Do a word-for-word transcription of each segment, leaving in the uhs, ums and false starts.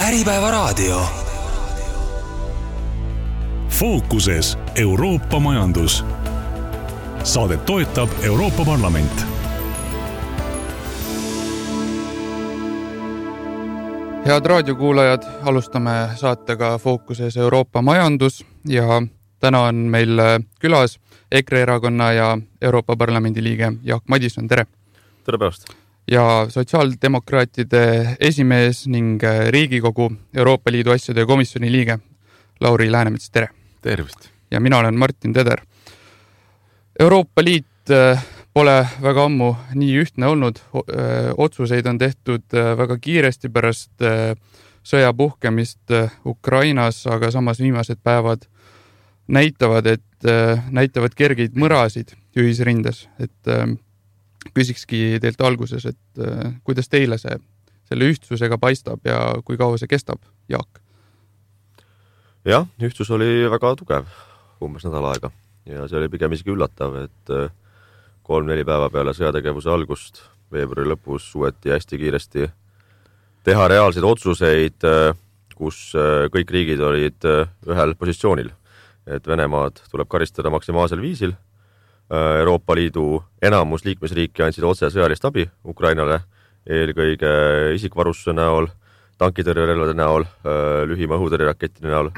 Äripäevaraadio. Fookuses Euroopa majandus. Saadet toetab Euroopa Parlament. Head raadiokuulajad, alustame saatega Fookuses Euroopa majandus ja täna on meil külas E K R E erakonna ja Euroopa Parlamendi liige Jaak Madison, tere! Tere päevast! Ja sotsiaaldemokraatide esimees ning Riigikogu Euroopa Liidu asjade ja komisjoni liige Lauri Läänemets, tere! Tervist! Ja mina olen Martin Teder. Euroopa Liit pole väga ammu nii ühtne olnud. Otsuseid on tehtud väga kiiresti pärast sõja puhkemist Ukrainas, aga samas viimased päevad näitavad, et näitavad kergeid mõrasid ühisrindes. Et küsikski teilt alguses, et kuidas teile see selle ühtsusega paistab ja kui kaua see kestab, Jaak? Jah, ühtsus oli väga tugev umbes nädal aega ja see oli pigem isegi üllatav, et kolm-neli päeva peale sõjategevuse algust veebruari lõpus suueti hästi kiiresti teha reaalseid otsuseid, kus kõik riigid olid ühel positsioonil, et Venemaad tuleb karistada maksimaalsel viisil. Euroopa Liidu enamus liikmesriiki andsid otse sõjalist abi Ukrainale, eelkõige isikvarustuse näol, tankitõrjerelvade näol, lühima õhutõrjerakettide näol.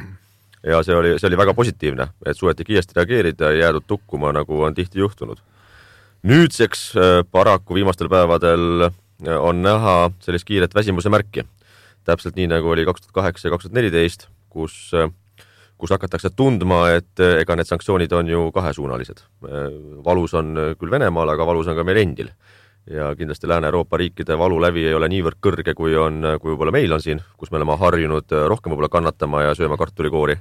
Ja see oli, see oli väga positiivne, et suueti kiiresti reageerida ja jäädud tukkuma, nagu on tihti juhtunud. Nüüdseks paraku viimastel päevadel on näha sellist kiiret väsimuse märki. Täpselt nii, nagu oli kaks tuhat kaheksa ja kaks tuhat neliteist, kus kus hakatakse tundma, et ega need sanktsioonid on ju kahesuunalised. Valus on küll Venemaal, aga valus on ka meil endil. Ja kindlasti Lääne-Euroopa riikide valu lävi ei ole niivõrd kõrge, kui on, kui võib-olla meil on siin, kus me oleme harjunud rohkem võib-olla kannatama ja sööma kartulikoori.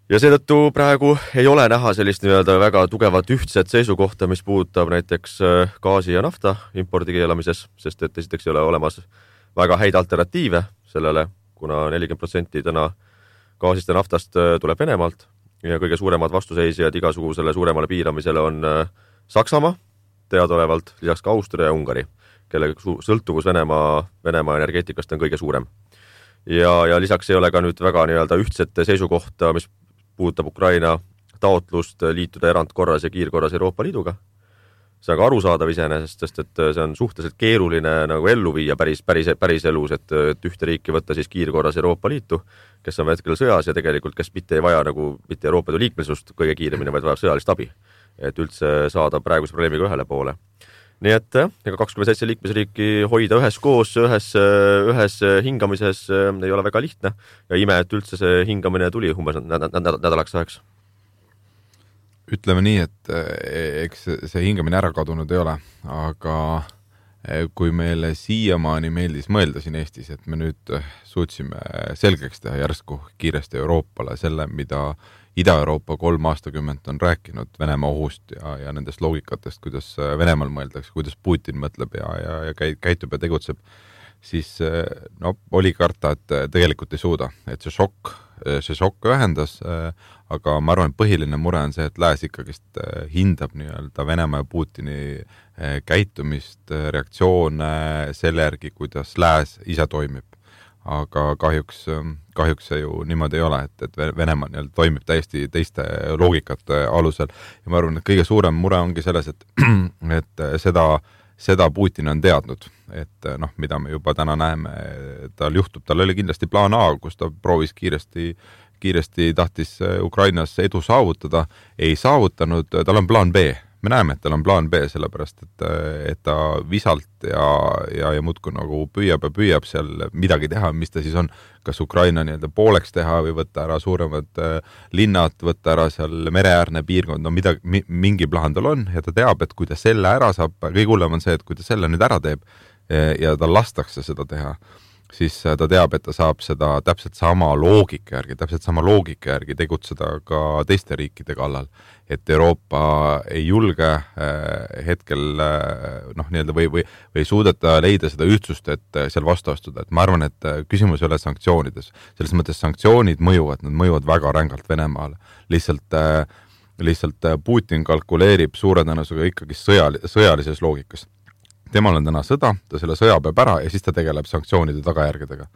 Ja seetõttu praegu ei ole näha sellist nii-öelda väga tugevat ühtset seisukohta, mis puudutab näiteks gaasi ja nafta impordi keelamises, sest et esiteks ei ole olemas väga häid alternatiive sellele, kuna nelikümmend protsenti täna gaasist ja naftast tuleb Venemaalt ja kõige suuremad vastuseisjad igasugusele suuremale piiramisele on Saksamaa, teadaolevalt lisaks ka Austria ja Ungari, kelle sõltuvus Venemaa, Venemaa energeetikast on kõige suurem. Ja, ja lisaks ei ole ka nüüd väga nii-öelda ühtset seisukohta, mis puudutab Ukraina taotlust liituda erandkorras ja kiirkorras Euroopa Liiduga. See on ka arusaadav iseenesest, sest et see on suhteliselt keeruline nagu ellu viia päris, päris, päris elus, et, et ühte riiki võtta siis kiirkorras Euroopa Liitu, kes on hetkel sõjas ja tegelikult kes mitte ei vaja nagu mitte Euroopa Liidu liikmesust kõige kiiremini, vaid vajab sõjalist abi, et üldse saada praeguse probleemiga ühele poole. Nii et ega kakskümmend seitse liikmesriiki hoida ühes koos, ühes, ühes hingamises ei ole väga lihtne ja ime, et üldse see hingamine tuli umbes nädalaks ajaks. Ütleme nii, et eks see hingamine ära kadunud ei ole, aga kui meile siiamaani meeldis mõelda siin Eestis, et me nüüd suutsime selgeks teha järsku kiiresti Euroopale selle, mida Ida-Euroopa kolm aastakümmet on rääkinud Venemaa ohust ja, ja nendest loogikatest, kuidas Venemaal mõeldakse, kuidas Putin mõtleb ja, ja, ja käitub ja tegutseb, siis no, oli karta, et tegelikult ei suuda, et see šokk, see šokk ühendas, aga ma arvan, et põhiline mure on see, et lääs ikkagist hindab nii-öelda Venemaa ja Putini käitumist, reaktsioone selle järgi, kuidas lääs ise toimib. Aga kahjuks, kahjuks see ju niimoodi ei ole, et, et Venemaa nii-öelda toimib täiesti teiste loogikate alusel. Ja ma arvan, et kõige suurem mure ongi selles, et, et seda, seda Putin on teadnud, et noh, mida me juba täna näeme, tal juhtub, tal oli kindlasti plaan A, kus ta proovis kiiresti kiiresti tahtis Ukrainas edu saavutada, ei saavutanud, tal on plaan B. Me näeme, et tal on plaan B, sellepärast, et, et ta visalt ja, ja, ja muudku nagu püüab ja püüab seal midagi teha, mis ta siis on, kas Ukraina nii-öelda pooleks teha või võtta ära suuremad linnad, võtta ära seal mereäärne piirkond, no midagi, mingi plaan tal on ja ta teab, et kui ta selle ära saab, kõige hullem on see, et kui ta selle nüüd ära teeb ja ta lastakse seda teha, siis ta teab, et ta saab seda täpselt sama loogika järgi, täpselt sama loogika järgi tegutseda ka teiste riikide kallal. Et Euroopa ei julge hetkel noh, nii-öelda või, või, või suudeta leida seda ühtsust, et seal vastu astuda. Et ma arvan, et küsimus ei ole sanktsioonides. Selles mõttes sanktsioonid mõjuvad, nad mõjuvad väga rängalt Venemaale. Lihtsalt, lihtsalt Putin kalkuleerib suure tõenäosusega ikkagi sõjal, sõjalises loogikas. temal on täna sõda, ta selle sõja peab ära ja siis ta tegeleb sanktsioonide tagajärgedega.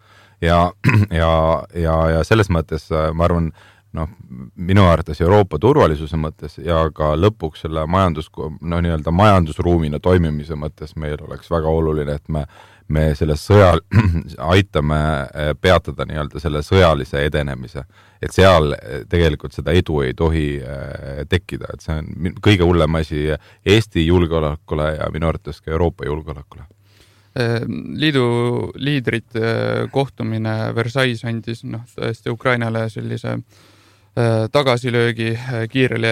Ja, ja, ja, ja selles mõttes ma arvan, noh, minu arvates Euroopa turvalisuse mõttes ja ka lõpuks selle majandus, no nii-öelda majandusruumina toimimise mõttes meil oleks väga oluline, et me, me selle sõjal aitame peatada nii-öelda selle sõjalise edenemise. Et seal tegelikult seda edu ei tohi tekkida, et see on kõige hullem asi Eesti julgeolekule ja minu arvates ka Euroopa julgeolekule. Liidu liidrite kohtumine Versailles andis noh, tõesti Ukrainale sellise tagasilöögi kiirele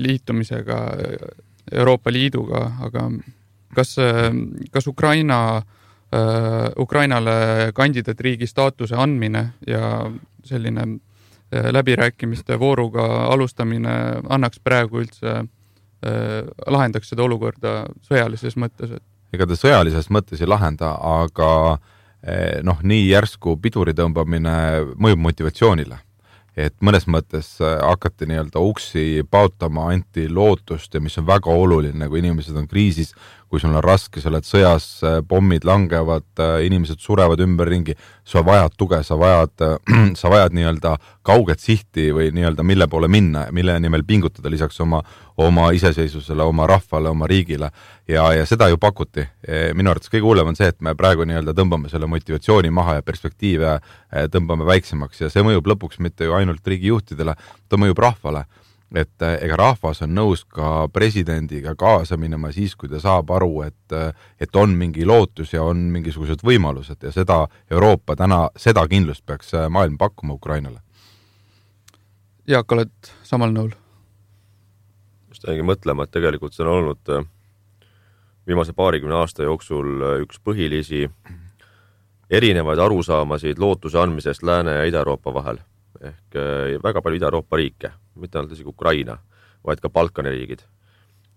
liitumisega Euroopa Liiduga, aga kas, kas Ukraina, Ukrainale kandidaatriigi staatuse andmine ja selline läbirääkimiste vooruga alustamine annaks praegu üldse, lahendaks seda olukorda sõjalises mõttes? Ega ta sõjalises mõttes ei lahenda, aga noh, nii järsku piduri tõmbamine mõjub motivatsioonile. Et mõnes mõttes hakati nii-öelda uksi pautama, anti lootust ja mis on väga oluline, kui inimesed on kriisis, kui sul on raske, sa oled sõjas, pommid langevad, inimesed surevad ümberringi, sa vajad tuge, sa vajad, sa vajad nii-öelda kauget sihti või nii-öelda mille poole minna, mille nimel pingutada lisaks oma, oma iseseisvusele, oma rahvale, oma riigile ja, ja seda ju pakuti. Minu arvates kõige hullem on see, et me praegu nii-öelda tõmbame selle motivatsiooni maha ja perspektiive tõmbame väiksemaks ja see mõjub lõpuks mitte ju ainult riigijuhtidele, ta mõjub rahvale. Et ega rahvas on nõus ka presidendiga kaasa minema siis, kui ta saab aru, et, et on mingi lootus ja on mingisugused võimalused ja seda Euroopa täna, seda kindlust peaks maailm pakkuma Ukrainale. Jaak, oled samal nõul? Just jäängi mõtlema, et tegelikult see on olnud viimase paarikümne aasta jooksul üks põhilisi erinevaid arusaamasid lootuse andmisest Lääne ja Ida-Euroopa vahel. Ehk väga palju Ida-Euroopa riike, mitte ainult isegi Ukraina, vaid ka Balkani riigid,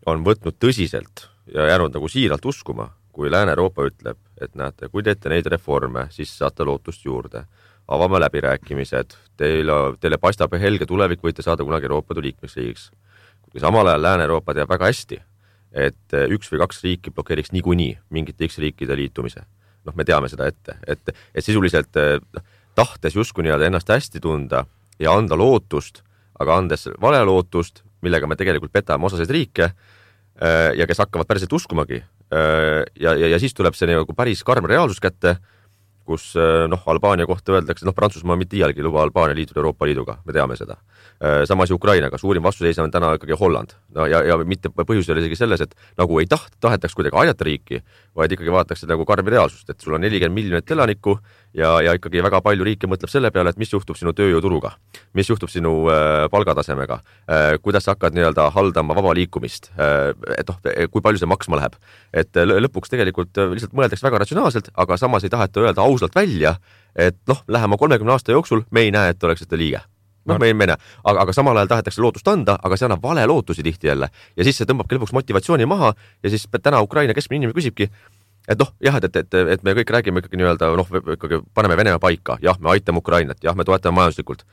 on võtnud tõsiselt ja jäänud nagu siiralt uskuma, kui Lääne-Euroopa ütleb, et näete, kui teete neid reforme, siis saate lootust juurde. Avame läbirääkimised, teile, teile paistab helge tulevik, võite saada kunagi Euroopa liikmesriigiks. Kui samal ajal Lääne-Euroopa teab väga hästi, et üks või kaks riiki blokeeriks niikuinii mingite X riikide liitumise. Noh, me teame seda ette, et, et sisuliselt tahtes justkui nii-öelda ennast hästi tunda ja anda lootust, aga andes vale lootust, millega me tegelikult petame osaseid riike ja kes hakkavad päriselt uskumagi. Ja, ja, ja siis tuleb see nagu päris karm reaalsus kätte, kus noh, Albaania kohta öeldakse, noh, Prantsusmaa mitte iialgi luba Albaania liituda Euroopa Liiduga, me teame seda. Samas Ukrainaga, suurim vastuseis on täna ikkagi Holland. No, ja, ja mitte põhjus oli isegi selles, et nagu ei taht, tahetaks kuidagi aidata riiki, vaid ikkagi vaadatakse nagu karmi reaalsust, et sul on nelikümmend miljonit elanikku ja, ja ikkagi väga palju riike mõtleb selle peale, et mis juhtub sinu tööjõuturuga, mis juhtub sinu äh, palgatasemega, äh, kuidas sa hakkad nii-öelda haldama vaba liikumist, äh, et noh, kui palju see maksma läheb. Et lõpuks tegelikult lihtsalt mõeldaks väga ratsionaalselt, aga samas ei taheta öelda ausalt välja, et noh, lähema kolmekümne aasta jooksul me ei näe, et oleks seda liige. noh, me ei mene, aga, aga samal ajal tahetakse lootust anda, aga see annab vale lootusi tihti jälle ja siis see tõmbabki lõpuks motivatsiooni maha ja siis täna Ukraina keskmine inimene küsibki, et noh, jah, et, et, et me kõik räägime ikkagi nii-öelda, noh, ikkagi paneme Venemaa paika, jah, me aitame Ukrainat, jah, me toetame majanduslikult,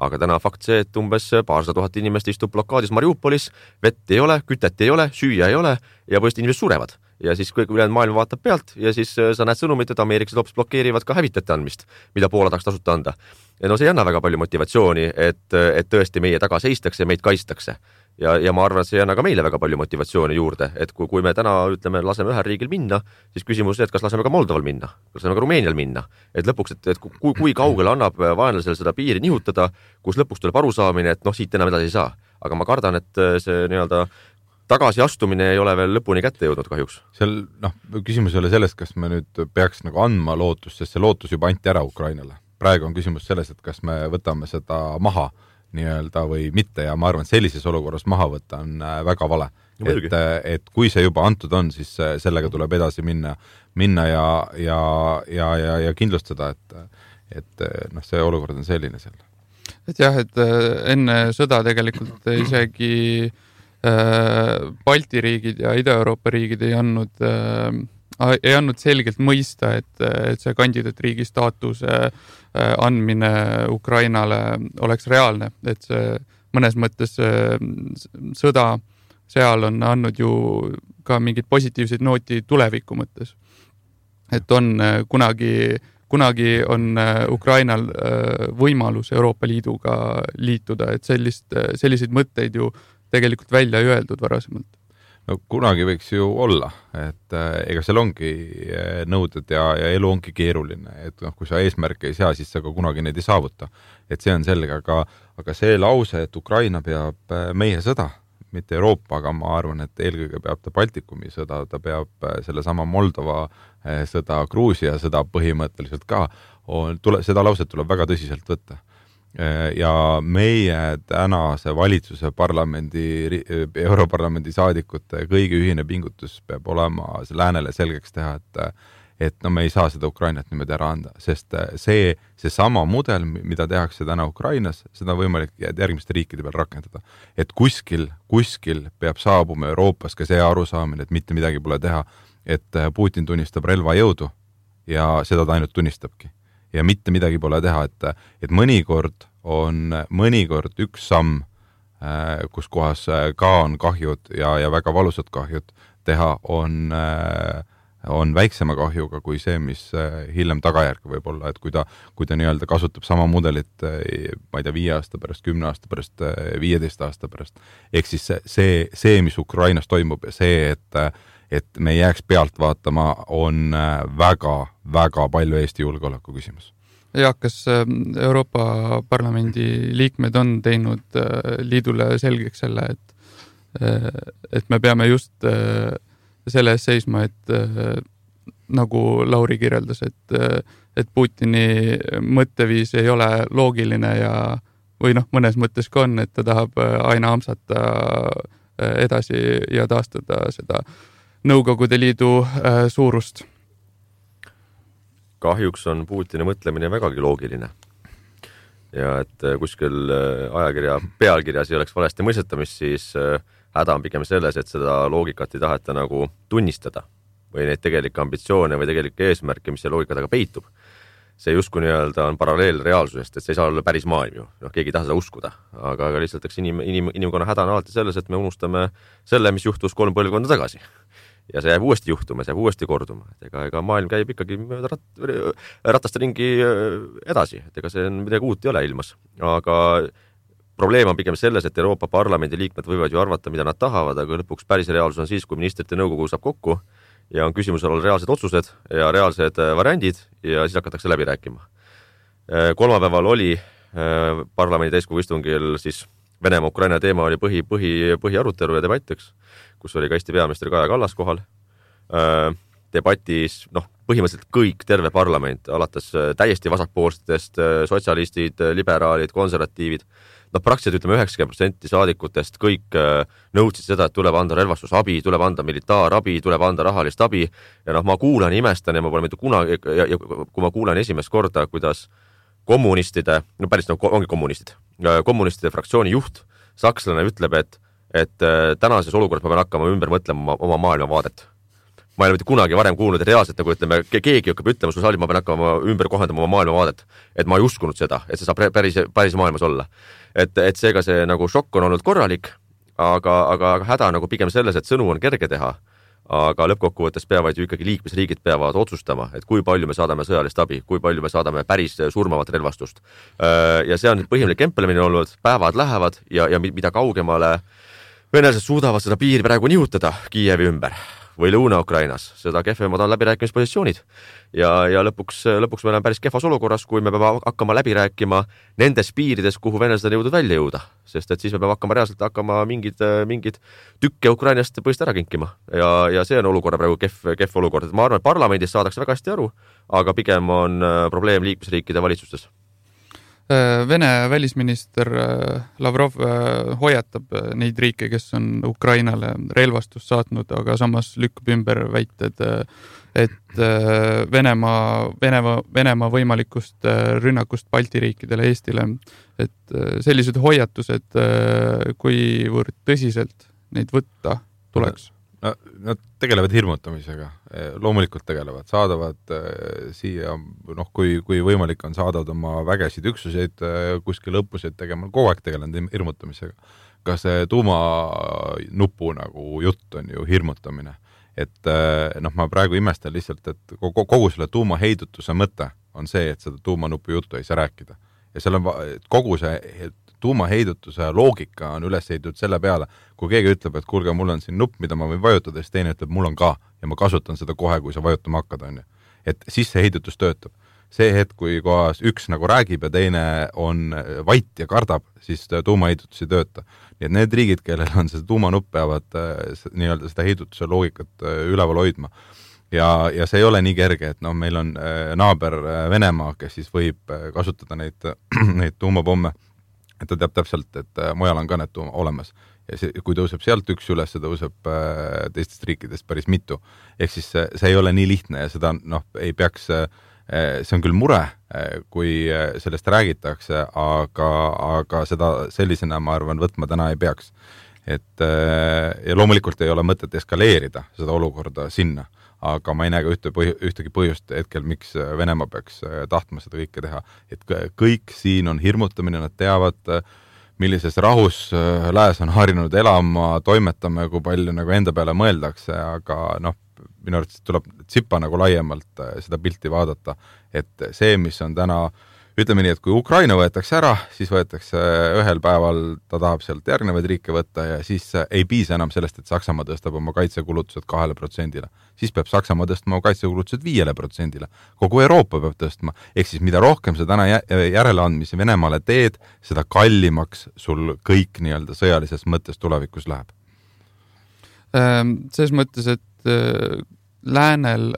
aga täna fakt see, et umbes paarsada tuhat inimest istub blokaadis Mariupolis, vett ei ole, kütet ei ole, süüa ei ole ja põhjust inimesed surevad. Ja siis kõik ülejäänud maailm vaatab pealt ja siis sa näed sõnumit, et ameeriklased hoopis blokeerivad ka hävitajate andmist, mida Poola tahaks tasuta anda. Ja no see ei anna väga palju motivatsiooni, et, et tõesti meie taga seistakse ja meid kaistakse. Ja, ja ma arvan, et see ei anna ka meile väga palju motivatsiooni juurde, et kui, kui me täna ütleme, laseme ühel riigil minna, siis küsimus on, et kas laseme ka Moldoval minna, kas laseme ka Rumeenial minna. Et lõpuks, et, et kui, kui kaugele annab vaenlasel seda piiri nihutada, kus lõpuks tuleb arusaamine, et noh, siit enam edasi ei saa. Aga ma kardan, et see nii-öelda tagasi astumine ei ole veel lõpuni kätte jõudnud kahjuks. Seal, noh, küsimus ei ole selles, kas me nüüd peaks nagu andma lootust, sest see lootus juba anti ära Ukrainale. Praegu on küsimus selles, et kas me võtame seda maha nii-öelda või mitte ja ma arvan, et sellises olukorras maha võtta on väga vale. Et, et kui see juba antud on, siis sellega tuleb edasi minna, minna ja, ja, ja, ja, ja kindlustada, et, et noh, see olukord on selline seal. Et jah, et enne sõda tegelikult isegi Balti riigid ja Ida-Euroopa riigid ei andnud, ei andnud selgelt mõista, et, et see kandidaatriigi staatuse andmine Ukrainale oleks reaalne, et see mõnes mõttes sõda seal on andnud ju ka mingid positiivseid nooti tuleviku mõttes. Et on kunagi, kunagi on Ukrainal võimalus Euroopa Liiduga liituda, et sellist, selliseid mõtteid ju tegelikult välja ei öeldud varasemalt. No kunagi võiks ju olla, et ega seal ongi nõuded ja, ja elu ongi keeruline, et noh, kui sa eesmärke ei sea, siis sa ka kunagi neid ei saavuta. Et see on selge, aga, aga see lause, et Ukraina peab meie sõda, mitte Euroopa, aga ma arvan, et eelkõige peab ta Baltikumi sõda, ta peab selle sama Moldova sõda, Gruusia sõda põhimõtteliselt ka, on, tule, seda lauset tuleb väga tõsiselt võtta. Ja meie tänase valitsuse parlamendi, Europarlamendi saadikute kõigi ühine pingutus peab olema läänele selgeks teha, et, et no me ei saa seda Ukrainat niimoodi ära anda, sest see, see sama mudel, mida tehakse täna Ukrainas, seda on võimalik järgmiste riikide peal rakendada. Et kuskil, kuskil peab saabuma Euroopas ka see arusaamine, et mitte midagi pole teha, et Putin tunnistab relvajõudu ja seda ta ainult tunnistabki. Ja mitte midagi pole teha, et, et mõnikord on mõnikord üks samm, kus kohas ka on kahjud ja, ja väga valusad kahjud teha, on, on väiksema kahjuga kui see, mis hiljem tagajärg võib olla, et kui ta, kui ta nii-öelda kasutab sama mudelit, ma ei tea, viie aasta pärast, kümne aasta pärast, viieteist aasta pärast. Ehk siis see, see, mis Ukrainas toimub ja see, et et me jääks pealt vaatama, on väga, väga palju Eesti julgeoleku küsimus. Ja, kas Euroopa Parlamendi liikmed on teinud liidule selgeks selle, et, et me peame just selle ees seisma, et nagu Lauri kirjeldas, et, et Putini mõtteviis ei ole loogiline ja, või noh, mõnes mõttes ka on, et ta tahab aina amsata edasi ja taastada seda Nõukogude Liidu äh, suurust. Kahjuks on Putini mõtlemine vägagi loogiline. Ja et kuskil ajakirja pealkirjas ei oleks valesti mõistetamist, siis häda on pigem selles, et seda loogikat ei taheta nagu tunnistada või neid tegelikke ambitsioone või tegelikke eesmärke, mis see loogika taga peitub. See justkui nii-öelda on paralleel reaalsusest, et see ei saa olla päris maailm ju. No, keegi ei taha seda uskuda, aga, aga lihtsalt inim, inim, inimkonna häda on alati selles, et me unustame selle, mis juhtus kolm põlvkonda tagasi. Ja see jääb uuesti juhtuma, see jääb uuesti korduma. Et ega, ega maailm käib ikkagi rat, rataste ringi edasi, et ega see midagi uut ei ole ilmas. Aga probleem on pigem selles, et Euroopa Parlamendi liikmed võivad ju arvata, mida nad tahavad, aga lõpuks päris reaalsus on siis, kui ministrite nõukogu saab kokku ja on küsimusel all reaalsed otsused ja reaalsed variandid ja siis hakatakse läbi rääkima. Kolmapäeval oli parlamendi täiskogu istungil siis Venemaa-Ukraina teema oli põhi, põhi, põhi arutelu ja debattiks, kus oli ka Eesti peaminister Kaja Kallas kohal. Debatis, noh, põhimõtteliselt kõik, terve parlament, alates täiesti vasakpoolsetest, sotsialistid, liberaalid, konservatiivid, noh, praktiliselt ütleme üheksakümmend protsenti saadikutest kõik nõudsid seda, et tuleb anda relvastusabi, tuleb anda militaarabi, tuleb anda rahalist abi ja noh, ma kuulan, imestan ja ma pole mitte kunagi, ja, ja kui ma kuulan esimest korda, kuidas kommunistide, no päris no, ongi kommunistid, kommunistide fraktsiooni juht, sakslane ütleb, et, et tänases olukorras ma pean hakkama ümber mõtlema oma maailmavaadet. Ma ei ole mitte kunagi varem kuulnud, et reaalselt nagu ütleme, keegi hakkab ütlema sul saalis, ma pean hakkama ümber kohendama oma maailmavaadet, et ma ei uskunud seda, et see saab päris, päris maailmas olla. Et, et seega see nagu šokk on olnud korralik, aga, aga, aga häda nagu pigem selles, et sõnu on kerge teha, aga lõppkokkuvõttes peavad ju ikkagi liikmesriigid peavad otsustama, et kui palju me saadame sõjalist abi, kui palju me saadame päris surmavat relvastust. Ja see on põhimõtteliselt kempelemine olnud, päevad lähevad ja, ja mida kaugemale venelased suudavad seda piiri praegu nihutada Kiievi ümber või Lõuna-Ukrainas, seda kehvemad on läbirääkimispositsioonid. Ja, ja lõpuks, lõpuks me oleme päris kehvas olukorras, kui me peame hakkama läbi rääkima nendes piirides, kuhu venelased on jõudnud välja jõuda. Sest et siis me peame hakkama reaalselt hakkama mingid, mingid tükke Ukrainast põhist ära kinkima. Ja, ja see on olukorra praegu kehv, kehv olukord. Ma arvan, et parlamendis saadakse väga hästi aru, aga pigem on probleem liikmesriikide valitsustes. Vene välisminister Lavrov hoiatab neid riike, kes on Ukrainale relvastust saatnud, aga samas lükkub ümber väited, et Venemaa, Venemaa, Venemaa võimalikust rünnakust Balti riikidele Eestile. Et sellised hoiatused, kuivõrd tõsiselt neid võtta tuleks? No, nad tegelevad hirmutamisega, loomulikult tegelevad, saadavad äh, siia, noh, kui, kui võimalik on, saadavad oma vägesid üksuseid äh, kuskil õppuseid tegema, kogu aeg tegelenud hirmutamisega. Ka see tuumanupu nagu jutt on ju hirmutamine. Et äh, noh, ma praegu imestan lihtsalt, et kogu, kogu selle tuumaheidutuse mõte on see, et seda tuumanupu juttu ei saa rääkida. Ja seal on kogu see tuumaheidutuse loogika on üles heidutud selle peale, kui keegi ütleb, et kuulge, mul on siin nupp, mida ma võin vajutada, siis teine ütleb, mul on ka ja ma kasutan seda kohe, kui sa vajutama hakkad, on ju. Et siis see heidutus töötab. See hetk, kui kohas üks nagu räägib ja teine on vait ja kardab, siis tuumaheidutus ei tööta. Nii et need riigid, kellel on see tuumanupp, peavad nii-öelda seda heidutuse loogikat üleval hoidma. Ja, ja see ei ole nii kerge, et noh, meil on naaber Venemaa, kes siis võib kasutada neid, neid tuumapomme, et ta teab täpselt, et mujal on ka need tuuma olemas. Ja see, kui tõuseb sealt üks üles, see tõuseb teistest riikidest päris mitu. Ehk siis see, see ei ole nii lihtne ja seda noh, ei peaks, see on küll mure, kui sellest räägitakse, aga, aga seda sellisena, ma arvan, võtma täna ei peaks. Et, ja loomulikult ei ole mõtet eskaleerida seda olukorda sinna, aga ma ei näe ka ühte põh, ühtegi põhjust hetkel, miks Venemaa peaks tahtma seda kõike teha. Et kõik siin on hirmutamine, nad teavad, millises rahus lääs on harinud elama, toimetame, kui palju nagu enda peale mõeldakse, aga noh, minu arvates tuleb tsipa nagu laiemalt seda pilti vaadata, et see, mis on täna, ütleme nii, et kui Ukraina võetakse ära, siis võetakse ühel päeval, ta tahab sealt järgnevaid riike võtta ja siis ei piisa enam sellest, et Saksamaa tõstab oma kaitsekulutused kahele protsendile. Siis peab Saksamaa tõstma oma kaitsekulutused viiele protsendile. Kogu Euroopa peab tõstma. Ehk siis mida rohkem sa täna järeleandmisi Venemaale teed, seda kallimaks sul kõik nii-öelda sõjalises mõttes tulevikus läheb. Selles mõttes, et läänel,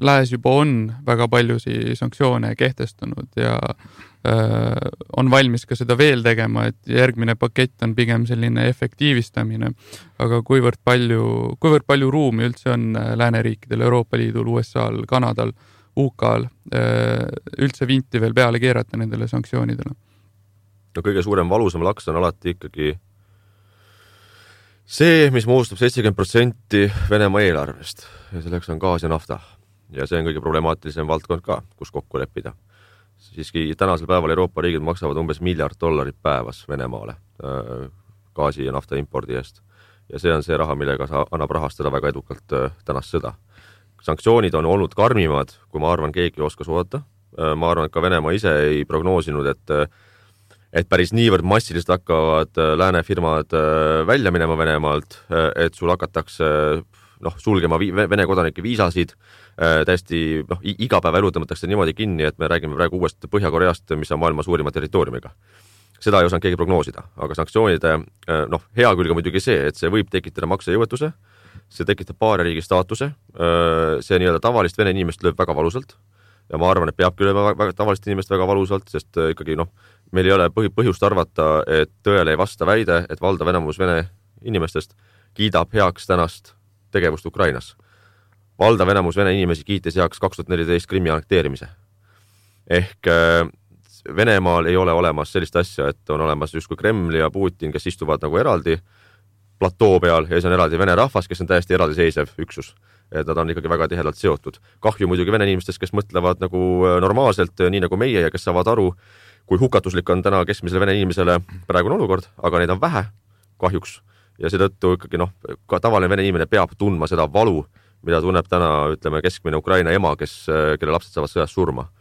lääs juba on väga paljusi sanktsioone kehtestanud ja äh, on valmis ka seda veel tegema, et järgmine pakett on pigem selline efektiivistamine, aga kuivõrd palju, kuivõrd palju ruumi üldse on lääneriikidel, Euroopa Liidul, U S A-l, Kanadal, U K-l äh, üldse vinti veel peale keerata nendele sanktsioonidele? No kõige suurem valusam laks on alati ikkagi see, mis moodustab seitsekümmend protsenti Venemaa eelarvest ja selleks on gaas ja nafta. Ja see on kõige problemaatilisem valdkond ka, kus kokku leppida. Siiski tänasel päeval Euroopa riigid maksavad umbes miljard dollarit päevas Venemaale gaasi ja nafta impordi eest. Ja see on see raha, millega sa annab rahastada väga edukalt tänast sõda. Sanktsioonid on olnud karmimad, kui ma arvan, keegi oskas oodata. Ma arvan, et ka Venemaa ise ei prognoosinud, et et päris niivõrd massiliselt hakkavad lääne firmad välja minema Venemaalt, et sul hakatakse noh, sulgema Vene kodanike viisasid, täiesti noh, iga päeva elu tõmmatakse niimoodi kinni, et me räägime praegu uuest Põhja-Koreast, mis on maailma suurima territooriumiga. Seda ei osanud keegi prognoosida, aga sanktsioonide noh, hea külg on muidugi see, et see võib tekitada maksejõuetuse, see tekitab paari riigi staatuse, see nii-öelda tavalist Vene inimest lööb väga valusalt ja ma arvan, et peabki lööma väga tavalist inimest väga valusalt, sest ikkagi noh, meil ei ole põhjust arvata, et tõele ei vasta väide, et valdav enamus Vene inimestest kiidab heaks tänast tegevust Ukrainas. Valdav enamus Vene inimesi kiitis heaks kaks tuhat neliteist Krimmi annekteerimise. Ehk Venemaal ei ole olemas sellist asja, et on olemas justkui Kreml ja Putin, kes istuvad nagu eraldi platoo peal ja see on eraldi Vene rahvas, kes on täiesti eraldiseisev üksus. Et nad on ikkagi väga tihedalt seotud. Kahju muidugi Vene inimestest, kes mõtlevad nagu normaalselt, nii nagu meie ja kes saavad aru, kui hukatuslik on täna keskmisele Vene inimesele praegune olukord, aga neid on vähe, kahjuks. Ja seetõttu ikkagi noh, ka tavaline Vene inimene peab tundma seda valu, mida tunneb täna, ütleme, keskmine Ukraina ema, kes, kelle lapsed saavad sõjas surma.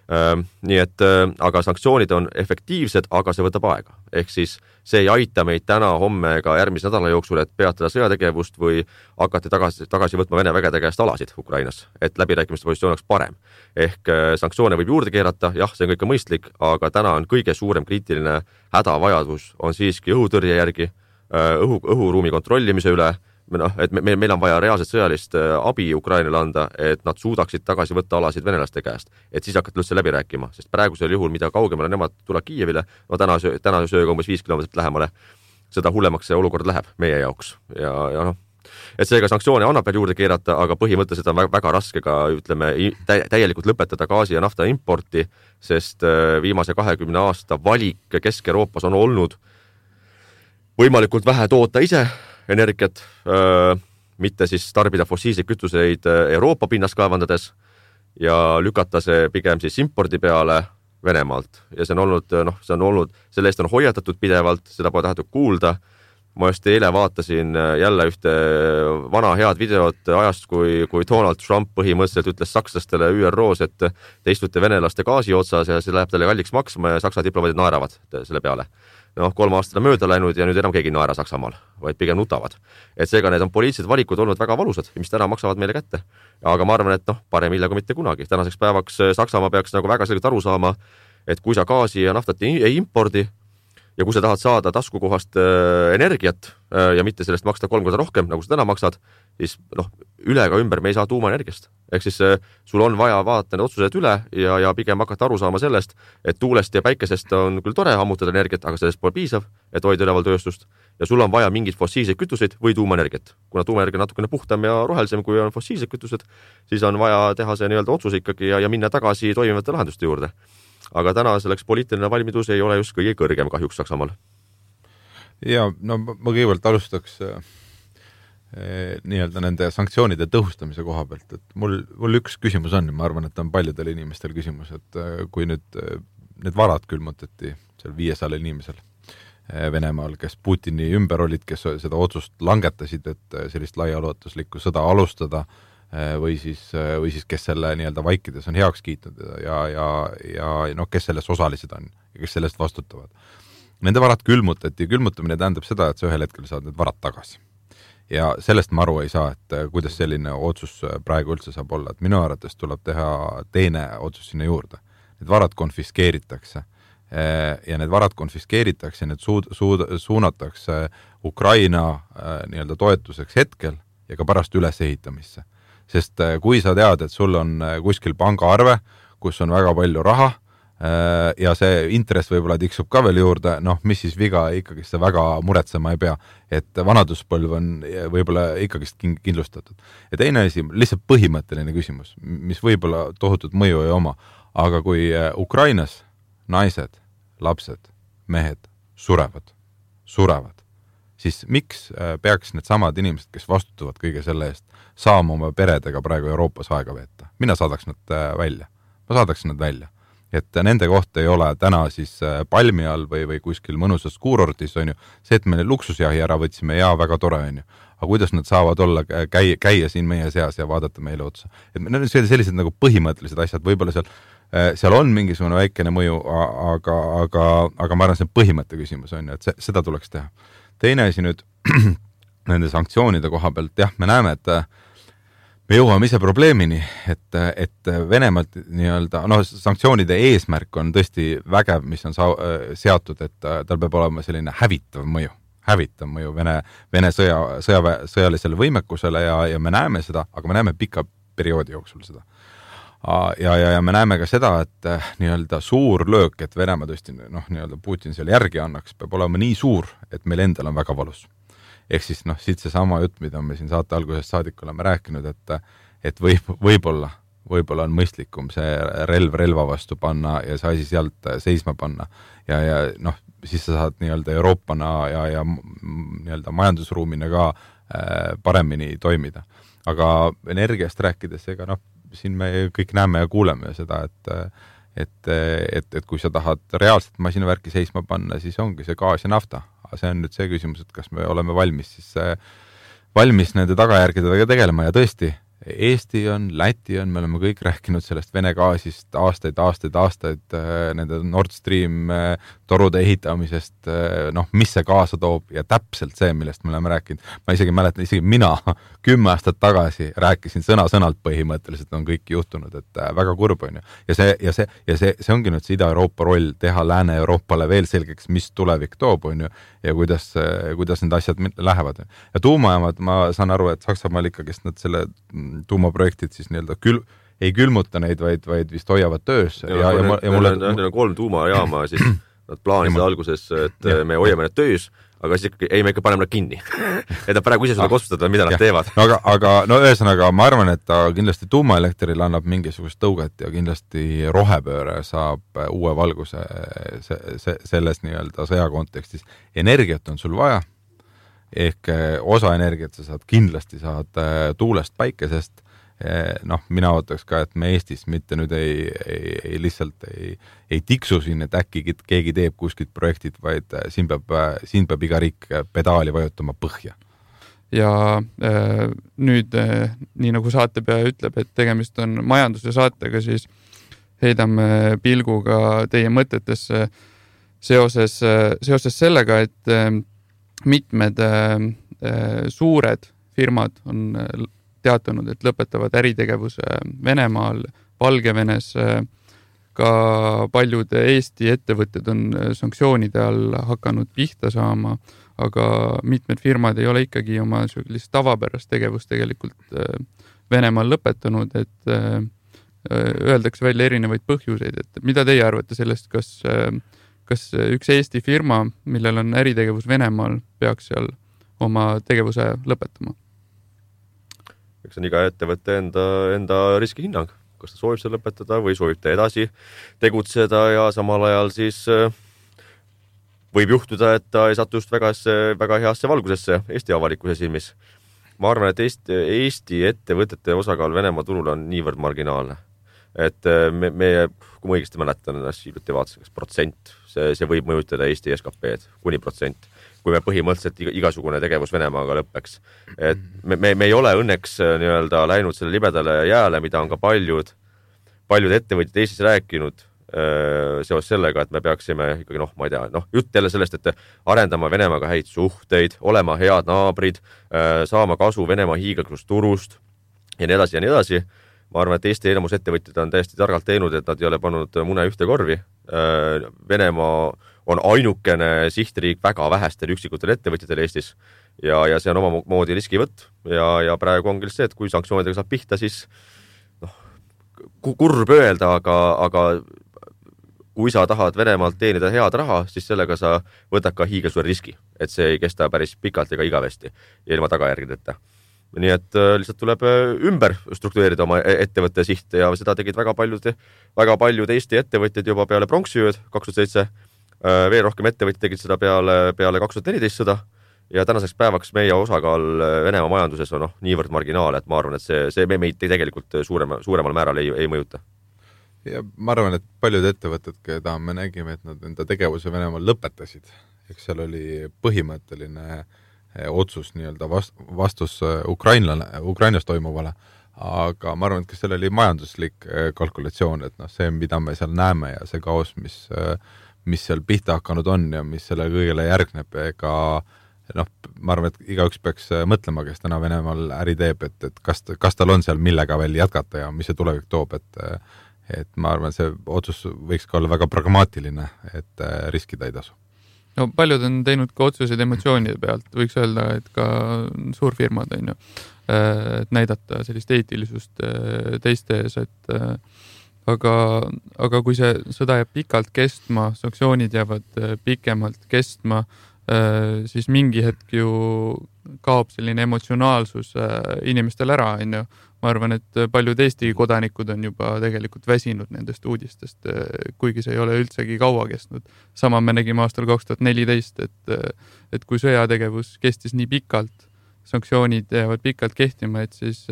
Nii et, aga sanktsioonid on efektiivsed, aga see võtab aega. Ehk siis see ei aita meid täna, homme ega järgmise nädala jooksul, et peatada sõjategevust või hakati tagasi, tagasi võtma Vene vägede käest alasid Ukrainas, et läbirääkimiste positsioon oleks parem. Ehk sanktsioone võib juurde keerata, jah, see on kõik mõistlik, aga täna on kõige suurem kriitiline hädavajadus on siiski õhutõrje järgi, õhu, õhuruumi kontrollimise üle, noh, et me, meil on vaja reaalselt sõjalist abi Ukrainale anda, et nad suudaksid tagasi võtta alasid venelaste käest, et siis hakata üldse läbi rääkima, sest praegusel juhul, mida kaugemale nemad tuleb Kiievile, no täna, täna sööga umbes viis kilomeetrit lähemale, seda hullemaks see olukord läheb meie jaoks ja, ja noh, et seega sanktsioone annab veel juurde keerata, aga põhimõtteliselt on väga, väga raske ka, ütleme, täielikult lõpetada gaasi ja nafta importi, sest viimase kahekümne aasta valik Kesk-Euroopas on olnud võimalikult vähe toota ise energiat, mitte siis tarbida fossiilseid kütuseid Euroopa pinnast kaevandades ja lükata see pigem siis impordi peale Venemaalt. Ja see on olnud, noh, see on olnud, selle eest on hoiatatud pidevalt, seda pole tahetud kuulda. Ma just eile vaatasin jälle ühte vana head videot ajast, kui, kui Donald Trump põhimõtteliselt ütles sakslastele Ü R O's, et te istute venelaste gaasi otsas ja see läheb talle kalliks maksma ja saksa diplomaadid naeravad selle peale. Noh, kolm aastat on mööda läinud ja nüüd enam keegi naera Saksamaal, vaid pigem nutavad. Et seega need on poliitilised valikud olnud väga valusad, mis täna maksavad meile kätte. Aga ma arvan, et noh, parem hilja kui mitte kunagi. Tänaseks päevaks Saksamaa peaks nagu väga selgelt aru saama, et kui sa gaasi ja naftat ei impordi ja kui sa tahad saada taskukohast energiat ja mitte sellest maksta kolm korda rohkem, nagu sa täna maksad, siis noh, üle ka ümber me ei saa tuumaenergiast. Ehk siis sul on vaja vaadata need otsused üle ja, ja pigem hakata aru saama sellest, et tuulest ja päikesest on küll tore ammutada energiat, aga sellest pole piisav, et hoida üleval tööstust. Ja sul on vaja mingid fossiilseid kütuseid või tuumaenergiat. Kuna tuumaenergia on natukene puhtam ja rohelisem, kui on fossiilsed kütused, siis on vaja teha see nii-öelda otsus ikkagi ja, ja minna tagasi toimivate lahenduste juurde. Aga täna selleks poliitiline valmidus ei ole just kõige kõrgem kahjuks Saksamaal. Ja no ma kõigepealt alustaks eh, nii-öelda nende sanktsioonide tõhustamise koha pealt, et mul, mul üks küsimus on ja ma arvan, et on paljudel inimestel küsimus, et kui nüüd need varad külmutati seal viiesajal inimesel Venemaal, kes Putini ümber olid, kes seda otsust langetasid, et sellist laiaulatuslikku sõda alustada või siis, või siis kes selle nii-öelda vaikides on heaks kiitnud ja, ja, ja no, kes selles osalised on ja kes sellest vastutavad. Nende varad külmutati ja külmutamine tähendab seda, et sa ühel hetkel saad need varad tagasi. Ja sellest ma aru ei saa, et kuidas selline otsus praegu üldse saab olla, et minu arvates tuleb teha teine otsus sinna juurde. Need varad konfiskeeritakse ja need varad konfiskeeritakse, need suud, suud, suunatakse Ukraina nii-öelda toetuseks hetkel ja ka pärast ülesehitamisse. Sest kui sa tead, et sul on kuskil pangaarve, kus on väga palju raha ja see intress võib-olla tiksub ka veel juurde, noh, mis siis viga ikkagi seda väga muretsema ei pea, et vanaduspõlv on võib-olla ikkagist kindlustatud. Ja teine asi, lihtsalt põhimõtteline küsimus, mis võib-olla tohutut mõju ei oma, aga kui Ukrainas naised, lapsed, mehed surevad, surevad, siis miks peaks need samad inimesed, kes vastutavad kõige selle eest, saama oma peredega praegu Euroopas aega veeta? Mina saadaks nad välja. Ma saadaks nad välja. Et nende kohta ei ole täna siis palmi all või, või kuskil mõnusas kuurortis, on ju, see, et me luksusjahi ära võtsime, ja väga tore on ju. Aga kuidas nad saavad olla, käia, käia siin meie seas ja vaadata meile otsa? Et need on sellised nagu põhimõttelised asjad, võib-olla seal, seal on mingisugune väikene mõju, aga, aga, aga ma arvan, see põhimõtte küsimus on ju, et see, seda tuleks teha. Teine asi nüüd nende sanktsioonide koha pealt, jah, me näeme, et me jõuame ise probleemini, et, et Venemaalt nii-öelda, noh, sanktsioonide eesmärk on tõesti vägev, mis on sa, seatud, et tal peab olema selline hävitav mõju, hävitav mõju Vene, Vene sõja, sõja, sõjalisele võimekusele ja, ja me näeme seda, aga me näeme pika perioodi jooksul seda. Ja, ja, ja me näeme ka seda, et nii-öelda suur löök, et Venemaa tõesti, noh, nii-öelda Putin seal järgi annaks, peab olema nii suur, et meil endal on väga valus. Ehk siis, noh, siit see sama jutt, mida me siin saate algusest saadik oleme rääkinud, et, et võib, võib-olla, võib-olla on mõistlikum see relv relva vastu panna ja see asi sealt seisma panna. Ja, ja noh, siis sa saad nii-öelda Euroopana ja, ja nii-öelda majandusruumina ka paremini toimida. Aga energiast rääkides, ega noh, siin me kõik näeme ja kuuleme seda, et, et, et, et kui sa tahad reaalselt masinavärki seisma panna, siis ongi see gaas ja nafta. Aga see on nüüd see küsimus, et kas me oleme valmis, siis valmis nende tagajärgedega tegelema ja tõesti, Eesti on, Läti on, me oleme kõik rääkinud sellest Vene gaasist aastaid, aastaid, aastaid, nende Nord Stream torude ehitamisest, noh, mis see kaasa toob ja täpselt see, millest me oleme rääkinud. Ma isegi mäletan, isegi mina kümme aastat tagasi rääkisin sõna-sõnalt põhimõtteliselt, on kõik juhtunud, et väga kurb on ju. Ja see, ja see, ja see, see ongi nüüd see Ida-Euroopa roll, teha Lääne-Euroopale veel selgeks, mis tulevik toob on ju, ja kuidas, kuidas need asjad lähevad. Ja tuumajaamad, ma saan aru, et Saksamaal ikkagist nad selle tuumaprojektid siis nii-öelda kül, ei külmuta neid, vaid, vaid vist hoiavad töös. Ja, ja, ja, ja, ja mulle... Neil on kolm tuumajaama, siis nad plaanisid alguses, et ja. me hoiame need töös, aga siis ikkagi, ei, me ikka paneme nad kinni. et nad praegu ise suudavad otsustada, mida nad ja. teevad. No, aga, aga no ühesõnaga, ma arvan, et ta kindlasti tuumaelektril annab mingisugust tõuget ja kindlasti rohepööre saab uue valguse se, se, selles nii-öelda sõja kontekstis. Energiat on sul vaja, ehk osa energiat sa saad kindlasti saad tuulest, päikesest. Noh, mina ootaks ka, et me Eestis mitte nüüd ei, ei, ei lihtsalt ei, ei tiksu siin, et äkki keegi teeb kuskilt projektid, vaid siin peab, siin peab iga riik pedaali vajutama põhja. Ja äh, nüüd, äh, nii nagu saatepeaja ütleb, et tegemist on majanduse saatega, siis heidame pilguga teie mõtetesse seoses, seoses sellega, et äh, mitmed äh, suured firmad on teatanud, et lõpetavad äritegevuse Venemaal, Valgevenes. Ka paljud Eesti ettevõtted on sanktsioonide all hakanud pihta saama, aga mitmed firmad ei ole ikkagi oma sellist tavapärast tegevust tegelikult Venemaal lõpetanud, et öeldakse välja erinevaid põhjuseid, et mida teie arvate sellest, kas, kas üks Eesti firma, millel on äritegevus Venemaal, peaks seal oma tegevuse lõpetama? Eks on iga ettevõtte enda, enda riskihinnang, kas ta soovib seda lõpetada või soovib ta edasi tegutseda ja samal ajal siis võib juhtuda, et ta ei satu just väga, väga heasse valgusesse Eesti avalikkuse silmis. Ma arvan, et Eesti, Eesti ettevõtete osakaal Venemaa turul on niivõrd marginaalne, et me, me kui ma õigesti mäletan, hiljuti vaatasin, protsent, see, see võib mõjutada Eesti S K P-d kuni protsent, kui me põhimõtteliselt igasugune tegevus Venemaaga lõppeks. Et me, me, me ei ole õnneks nii-öelda läinud selle libedale jääle, mida on ka paljud, paljud ettevõtjad Eestis rääkinud seos sellega, et me peaksime ikkagi, noh, ma ei tea, noh, jutt jälle sellest, et arendama Venemaaga häid suhteid, olema head naabrid, saama kasu Venemaa hiigelgust turust ja nii edasi ja nii edasi. Ma arvan, et Eesti enamus ettevõtjad on täiesti targalt teinud, et nad ei ole pannud mune ühte korvi. Venemaa on ainukene sihtriik väga vähestel üksikutel ettevõtjatel Eestis ja, ja see on oma moodi riskivõtt ja, ja praegu ongi see, et kui sanktsioonidega saab pihta, siis noh, kurb öelda, aga, aga kui sa tahad Venemaalt teenida head raha, siis sellega sa võtad ka hiigelsuure riski, et see ei kesta päris pikalt ega igavesti ja ilma tagajärgedeta. Nii et lihtsalt tuleb ümber struktureerida oma ettevõtte siht ja seda tegid väga paljud, väga paljud Eesti ettevõtjad juba peale pronksiööd kaks tuhat seitse. Veel rohkem ettevõtjad tegid seda peale, peale kaks tuhat neliteist sõda ja tänaseks päevaks meie osakaal Venemaa majanduses on noh, niivõrd marginaal, et ma arvan, et see, see meid tegelikult suurema, suuremal määral ei, ei mõjuta. Ja ma arvan, et paljud ettevõtted, keda me nägime, et nad enda tegevuse Venemaal lõpetasid, eks seal oli põhimõtteline otsus nii-öelda vastus Ukrainlane, Ukrainas toimuvale, aga ma arvan, et kas seal oli majanduslik kalkulatsioon, et noh, see, mida me seal näeme ja see kaos, mis, mis seal pihta hakanud on ja mis selle kõigele järgneb, ega noh, ma arvan, et igaüks peaks mõtlema, kes täna Venemaal äri teeb, et, et kas, kas tal on seal millega veel jätkata ja mis see tulevik toob, et, et ma arvan, see otsus võiks ka olla väga pragmaatiline, et riskida ei tasu. No paljud on teinud ka otsuseid emotsioonide pealt, võiks öelda, et ka suurfirmad on ju, et näidata sellist eetilisust teiste ees, et aga, aga kui see sõda jääb pikalt kestma, sanktsioonid jäävad pikemalt kestma, siis mingi hetk ju kaob selline emotsionaalsus inimestel ära, on ju. Ma arvan, et paljud Eesti kodanikud on juba tegelikult väsinud nendest uudistest, kuigi see ei ole üldsegi kaua kestnud. Sama me nägime aastal kaks tuhat neliteist, et, et kui sõjategevus kestis nii pikalt, sanktsioonid jäävad pikalt kehtima, et siis,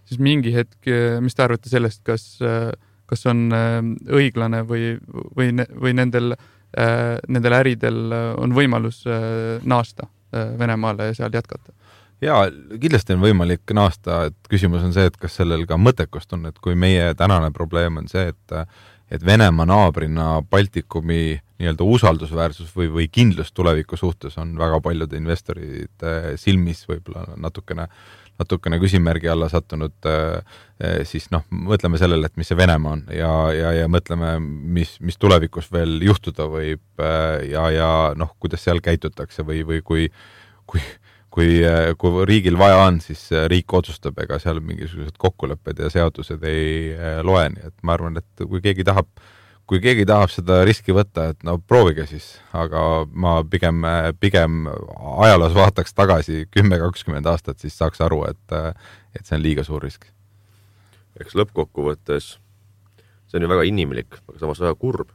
siis mingi hetk, mis te arvate sellest, kas, kas on õiglane või, või, või nendel, nendel äridel on võimalus naasta Venemaale ja seal jätkata? Jaa, kindlasti on võimalik naasta, et küsimus on see, et kas sellel ka mõttekust on, et kui meie tänane probleem on see, et, et Venemaa naabrina Baltikumi nii-öelda usaldusväärsus või, või kindlus tuleviku suhtes on väga paljude investorite silmis võib-olla natukene, natukene küsimärgi alla sattunud, siis noh, mõtleme sellele, et mis see Venemaa on ja, ja, ja mõtleme, mis, mis tulevikus veel juhtuda võib ja, ja noh, kuidas seal käitutakse või, või kui, kui Kui, kui riigil vaja on, siis riik otsustab, ega seal mingisugused kokkulepped ja seadused ei loe, nii et ma arvan, et kui keegi tahab, kui keegi tahab seda riski võtta, et no proovige siis, aga ma pigem, pigem ajaloos vaataks tagasi kümme kakskümmend aastat, siis saaks aru, et, et see on liiga suur risk. Eks lõppkokkuvõttes see on ju väga inimlik, aga samas väga kurb,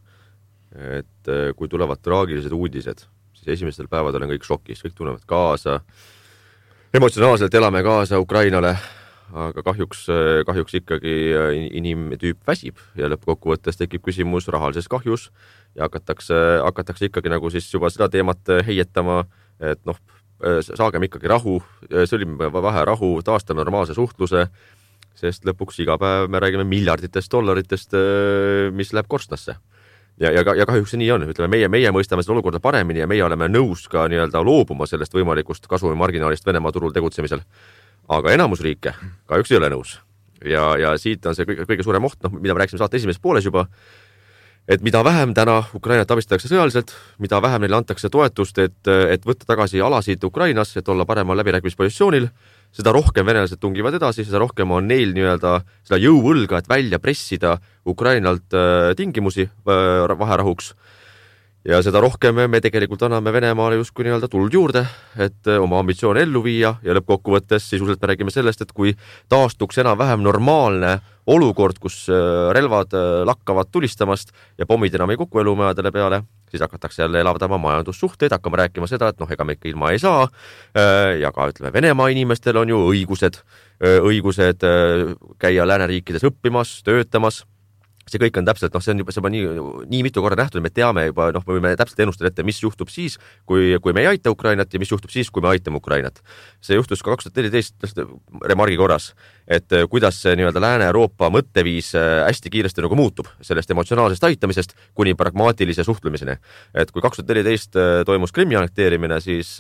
et kui tulevad traagilised uudised, siis esimestel päevadel on kõik šokis, kõik tunnevad kaasa, emotsionaalselt elame kaasa Ukrainale, aga kahjuks, kahjuks ikkagi inimtüüp väsib ja lõppkokkuvõttes tekib küsimus rahalises kahjus ja hakatakse, hakatakse ikkagi nagu siis juba seda teemat heietama, et noh, saagem ikkagi rahu, sõlmime vähe rahu, taastame normaalse suhtluse, sest lõpuks iga päev me räägime miljarditest dollaritest, mis läheb korstnasse. Ja, ja, ja kahjuks see nii on. Ütleme, meie, meie mõistame seda olukorda paremini ja meie oleme nõus ka nii-öelda loobuma sellest võimalikust kasumimarginaalist Venemaa turul tegutsemisel. Aga enamus riike kahjuks ei ole nõus. Ja, ja siit on see kõige, kõige suurem oht, noh, mida me rääksime saate esimeses pooles juba, et mida vähem täna Ukrainat abistatakse sõjaliselt, mida vähem neile antakse toetust, et, et võtta tagasi alasid Ukrainas, et olla paremal läbirääkimispositsioonil, seda rohkem venelased tungivad edasi, seda rohkem on neil nii-öelda seda jõuvõlga, et välja pressida Ukrainalt tingimusi vaherahuks. Ja seda rohkem me tegelikult anname Venemaale justkui nii-öelda tuld juurde, et oma ambitsioone ellu viia ja lõppkokkuvõttes sisuliselt me räägime sellest, et kui taastuks enam vähem normaalne olukord, kus relvad lakkavad tulistamast ja pommid enam ei kuku elumajadele peale, siis hakatakse jälle elavdama majandussuhteid, hakkama rääkima seda, et noh, ega me ikka ilma ei saa ja ka ütleme, Venemaa inimestel on ju õigused, õigused käia lääneriikides õppimas, töötamas. See kõik on täpselt, noh, see on juba, see on nii, nii mitu korda nähtud, me teame juba, noh, me võime täpselt ennustada ette, mis juhtub siis, kui, kui me ei aita Ukrainat ja mis juhtub siis, kui me aitame Ukrainat. See juhtus ka kaks tuhat neliteist remargi korras, et kuidas see nii-öelda Lääne-Euroopa mõtteviis hästi kiiresti nagu muutub sellest emotsionaalsest aitamisest kuni pragmaatilise suhtlemiseni. Et kui kaks tuhat neliteist toimus Krimmi annekteerimine, siis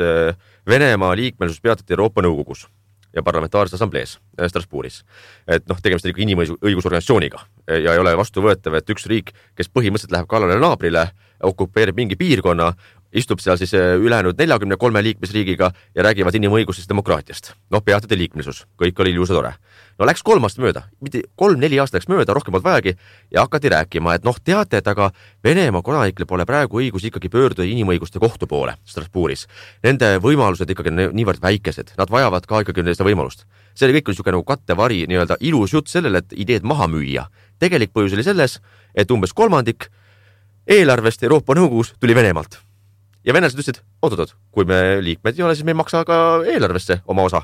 Venemaa liikmesus peatati Euroopa Nõukogus ja parlamentaarses assamblees Strasbourgis. Et noh, tegemist on ikka inimõigusorganisatsiooniga ja ei ole vastuvõetav, et üks riik, kes põhimõtteliselt läheb kallale naabrile, okupeerib mingi piirkonna, istub seal siis ülejäänud neljakümne kolme liikmesriigiga ja räägivad inimõigusest demokraatiast. Noh, peatati liikmelisus, kõik oli ilus ja tore. No läks kolm aastat mööda, mitte kolm-neli aastat läks mööda, rohkem polnud vajagi ja hakati rääkima, et noh, teate, et aga Venemaa kodanikele pole praegu õigus ikkagi pöörduda inimõiguste kohtu poole Strasbourgis. Nende võimalused ikkagi niivõrd väikesed, nad vajavad ka ikkagi seda võimalust. See oli kõik niisugune nagu kattevari, nii-öelda ilus jutt sellele, et ideed maha müüa. Tegelik põhjus oli selles, et umbes kolmandik eelarvest Euroopa Nõukogus tuli Venemaalt. Ja venelased ütlesid, oot-oot, kui me liikmed ei ole, siis me ei maksa ka eelarvesse oma osa.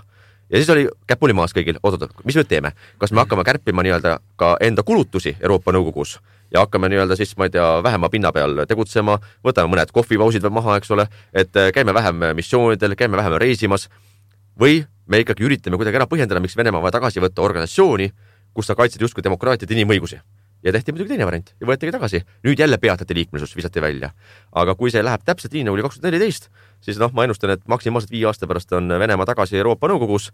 Ja siis oli käpuli maas kõigil, oot-oot, mis me teeme? Kas me hakkame kärpima nii-öelda ka enda kulutusi Euroopa Nõukogus ja hakkame nii-öelda siis, ma ei tea, vähema pinna peal tegutsema, võtame mõned kohvipausid veel maha, eks ole, et käime vähem missioonidel, käime vähem reisimas või me ikkagi üritame kuidagi ära põhjendada, miks Venemaa vaja tagasi võtta organisatsiooni, kus sa kaitsid justkui demokraatiat ja inimõigusi. Ja tehti muidugi teine variant ja võetegi tagasi. Nüüd jälle peatati liikmelisus, visati välja. Aga kui see läheb täpselt nii nagu kaks tuhat neliteist, siis noh, ma ennustan, et maksimaalselt viie aasta pärast on Venemaa tagasi Euroopa Nõukogus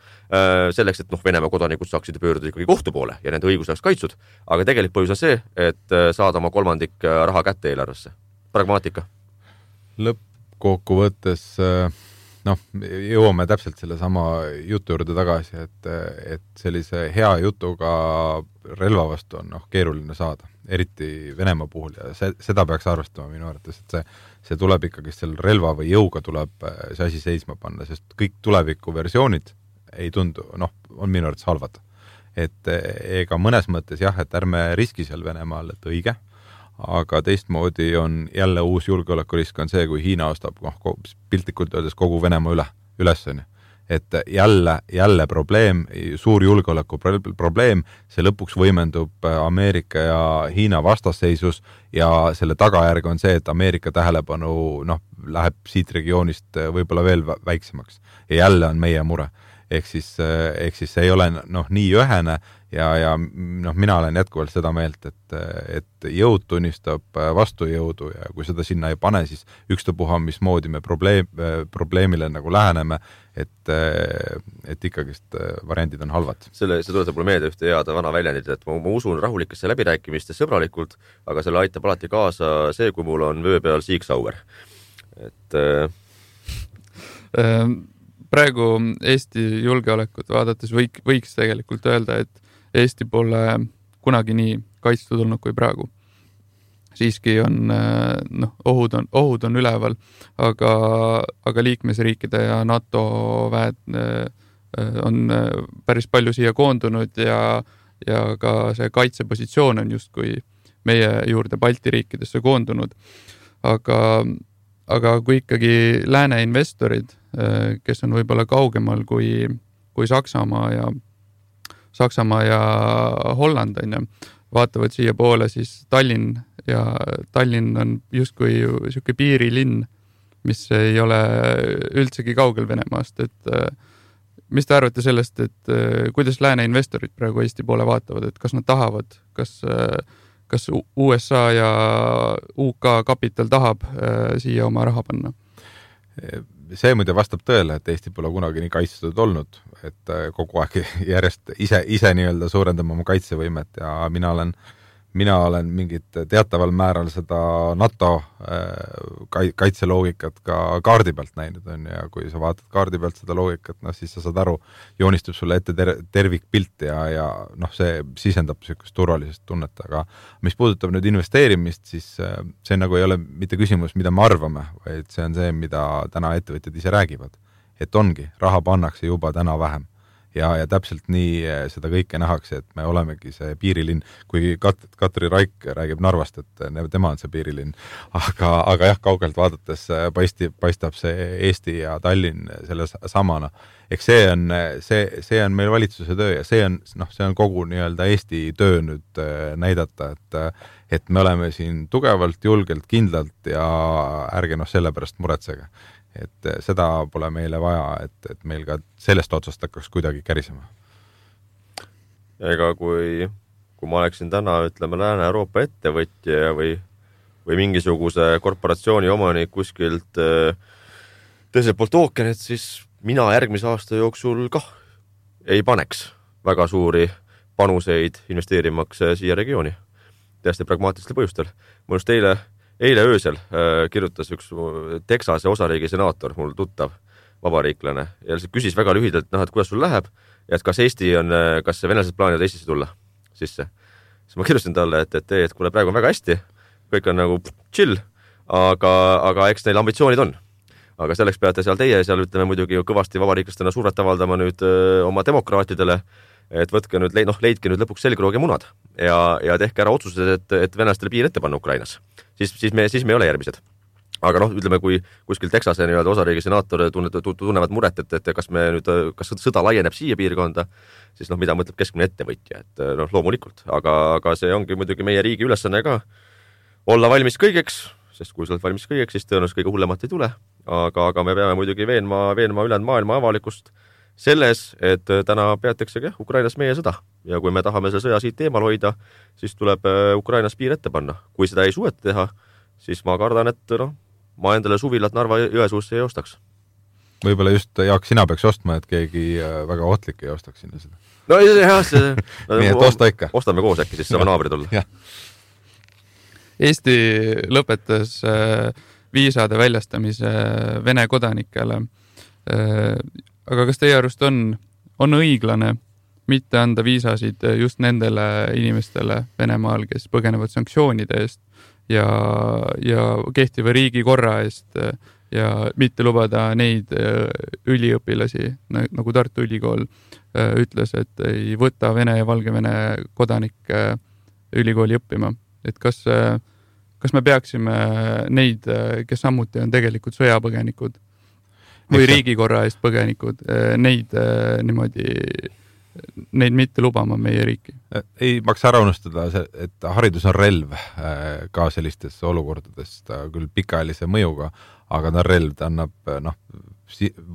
selleks, et noh, Venemaa kodanikud saaksid pöörduda ikkagi kohtu poole ja nende õigus oleks kaitsud. Aga tegelik põhjus on see, et saada oma kolmandik raha kätte eelarvesse. Pragmaatika. Lõppkokkuvõttes noh, jõuame täpselt selle sama jutu juurde tagasi, et, et sellise hea jutuga relva vastu on noh, keeruline saada, eriti Venemaa puhul ja see, seda peaks arvestama minu arvates, et see, see tuleb ikkagi selle relva või jõuga tuleb see asi seisma panna, sest kõik tuleviku versioonid ei tundu, noh, on minu arvates halvad. Et ega mõnes mõttes jah, et ärme riski seal Venemaal, et õige, aga teistmoodi on jälle uus julgeolekurisk on see, kui Hiina ostab noh, piltlikult öeldes kogu Venemaa üle, ülesõni. Et jälle, jälle probleem, suur julgeoleku probleem, see lõpuks võimendub Ameerika ja Hiina vastasseisus ja selle tagajärg on see, et Ameerika tähelepanu noh, läheb siit regioonist võib-olla veel väiksemaks ja jälle on meie mure. Ehk siis, ehk siis see ei ole noh, nii ühene ja, ja noh, mina olen jätkuvalt seda meelt, et, et jõud tunnistab vastujõudu ja kui seda sinna ei pane, siis ükstapuha, mismoodi me probleem, probleemile nagu läheneme, et, et ikkagist variandid on halvad. Selle, see tuletab mulle meelde ühte head vana väljendit, et ma, ma usun rahulikesse läbirääkimiste sõbralikult, aga selle aitab alati kaasa see, kui mul on vöö peal siiksauer. Et ähm. Praegu Eesti julgeolekut vaadates võik, võiks tegelikult öelda, et Eesti pole kunagi nii kaitstud olnud kui praegu. Siiski on, noh, ohud on, ohud on üleval, aga, aga liikmesriikide ja NATO väed on päris palju siia koondunud ja, ja ka see kaitsepositsioon on justkui meie juurde Balti riikidesse koondunud. Aga aga kui ikkagi lääne investorid, kes on võib-olla kaugemal kui, kui Saksamaa ja, Saksamaa ja Holland, on ju, vaatavad siia poole, siis Tallinn ja Tallinn on justkui siuke piirilinn, mis ei ole üldsegi kaugel Venemaast, et mis te arvate sellest, et kuidas lääne investorid praegu Eesti poole vaatavad, et kas nad tahavad, kas, kas U S A ja U K kapital tahab siia oma raha panna? See muide vastab tõele, et Eesti pole kunagi nii kaitstud olnud, et kogu aeg järjest ise, ise nii-öelda suurendama oma kaitsevõimet ja mina olen Mina olen mingit teataval määral seda NATO kaitseloogikat ka kaardi pealt näinud on ja kui sa vaatad kaardi pealt seda loogikat, no siis sa saad aru, joonistub sulle ette ter tervikpilt ja, ja noh, see sisendab niisugust turvalisest tunnet, aga mis puudutab nüüd investeerimist, siis see nagu ei ole mitte küsimus, mida me arvame, vaid see on see, mida täna ettevõtjad ise räägivad. Et ongi, raha pannakse juba täna vähem. Ja, ja täpselt nii seda kõike nähakse, et me olemegi see piirilinn, kui Kat Katri Raik räägib Narvast, et tema on see piirilinn, aga, aga jah, kaugelt vaadates paisti, paistab see Eesti ja Tallinn selle samana. Eks see on, see, see on meil valitsuse töö ja see on, noh, see on kogu nii-öelda Eesti töö nüüd näidata, et, et me oleme siin tugevalt, julgelt, kindlalt ja ärge noh selle pärast muretsege. Et seda pole meile vaja, et, et meil ka sellest otsast hakkaks kuidagi kärisema. Ega kui, kui ma oleksin täna, ütleme, Lääne-Euroopa ettevõtja või, või mingisuguse korporatsiooni omanik kuskilt teiselt poolt ookeanit, siis mina järgmise aasta jooksul kah ei paneks väga suuri panuseid investeerimaks siia regiooni. Täiesti pragmaatilistel põhjustel. Ma just eile Eile öösel äh, kirjutas üks Texase osariigi senaator, mul tuttav vabariiklane, ja küsis väga lühidalt, noh, et kuidas sul läheb, ja et kas Eesti on, kas venelased plaanivad Eestisse tulla sisse. Siis ma kirjustasin talle, et, et, et kuule, praegu on väga hästi, kõik on nagu chill, aga, aga eks neil ambitsioonid on. Aga selleks peate seal teie, seal ütleme muidugi kõvasti vabariiklastena suuret avaldama nüüd öö, oma demokraatidele, et võtke nüüd, noh, leidke nüüd lõpuks selgroog ja munad ja, ja tehke ära otsused, et, et venelastele piir ette panna Ukrainas. Siis, siis, me, siis me ei ole järgmised. Aga noh, ütleme, kui kuskil Texase nii-öelda osariigi senaator tunnevad muret, et, et kas me nüüd, kas sõda laieneb siia piirkonda, siis noh, mida mõtleb keskmine ettevõtja, et noh, loomulikult. Aga, aga see ongi muidugi meie riigi ülesanne ka olla valmis kõigeks, sest kui sa oled valmis kõigeks, siis tõenäoliselt kõige hullemat ei tule. Aga, aga me peame muidugi veenma, veenma ülejäänud maailma avalikust selles, et täna peateksegi Ukrainas meie sõda. Ja kui me tahame selle sõja siit eemal hoida, siis tuleb Ukrainas piir ette panna. Kui seda ei suueta teha, siis ma kardan, et noh, ma endale suvilat Narva Jõesuusse ei ostaks. Võib-olla just, Jaak, sina peaks ostma, et keegi väga ohtlik ei ostaks sinna seda. No jah, see... Nii, et osta ikka. Ostame koos äkki, siis saame naabrid olla. Eesti lõpetas viisade väljastamise Vene kodanikele. Aga kas teie arust on, on õiglane mitte anda viisasid just nendele inimestele Venemaal, kes põgenevad sanktsioonide eest ja, ja kehtiva riigi korra eest ja mitte lubada neid üliõpilasi, nagu Tartu Ülikool ütles, et ei võta Vene ja Valgevene kodanikke ülikooli õppima. Et kas, kas me peaksime neid, kes samuti on tegelikult sõjapõgenikud, või riigikorra eest põgenikud, neid niimoodi, neid mitte lubama meie riiki? Ei maksa ära unustada, et haridus on relv ka sellistes olukordades, ta küll pikaajalise mõjuga, aga ta on relv, ta annab noh,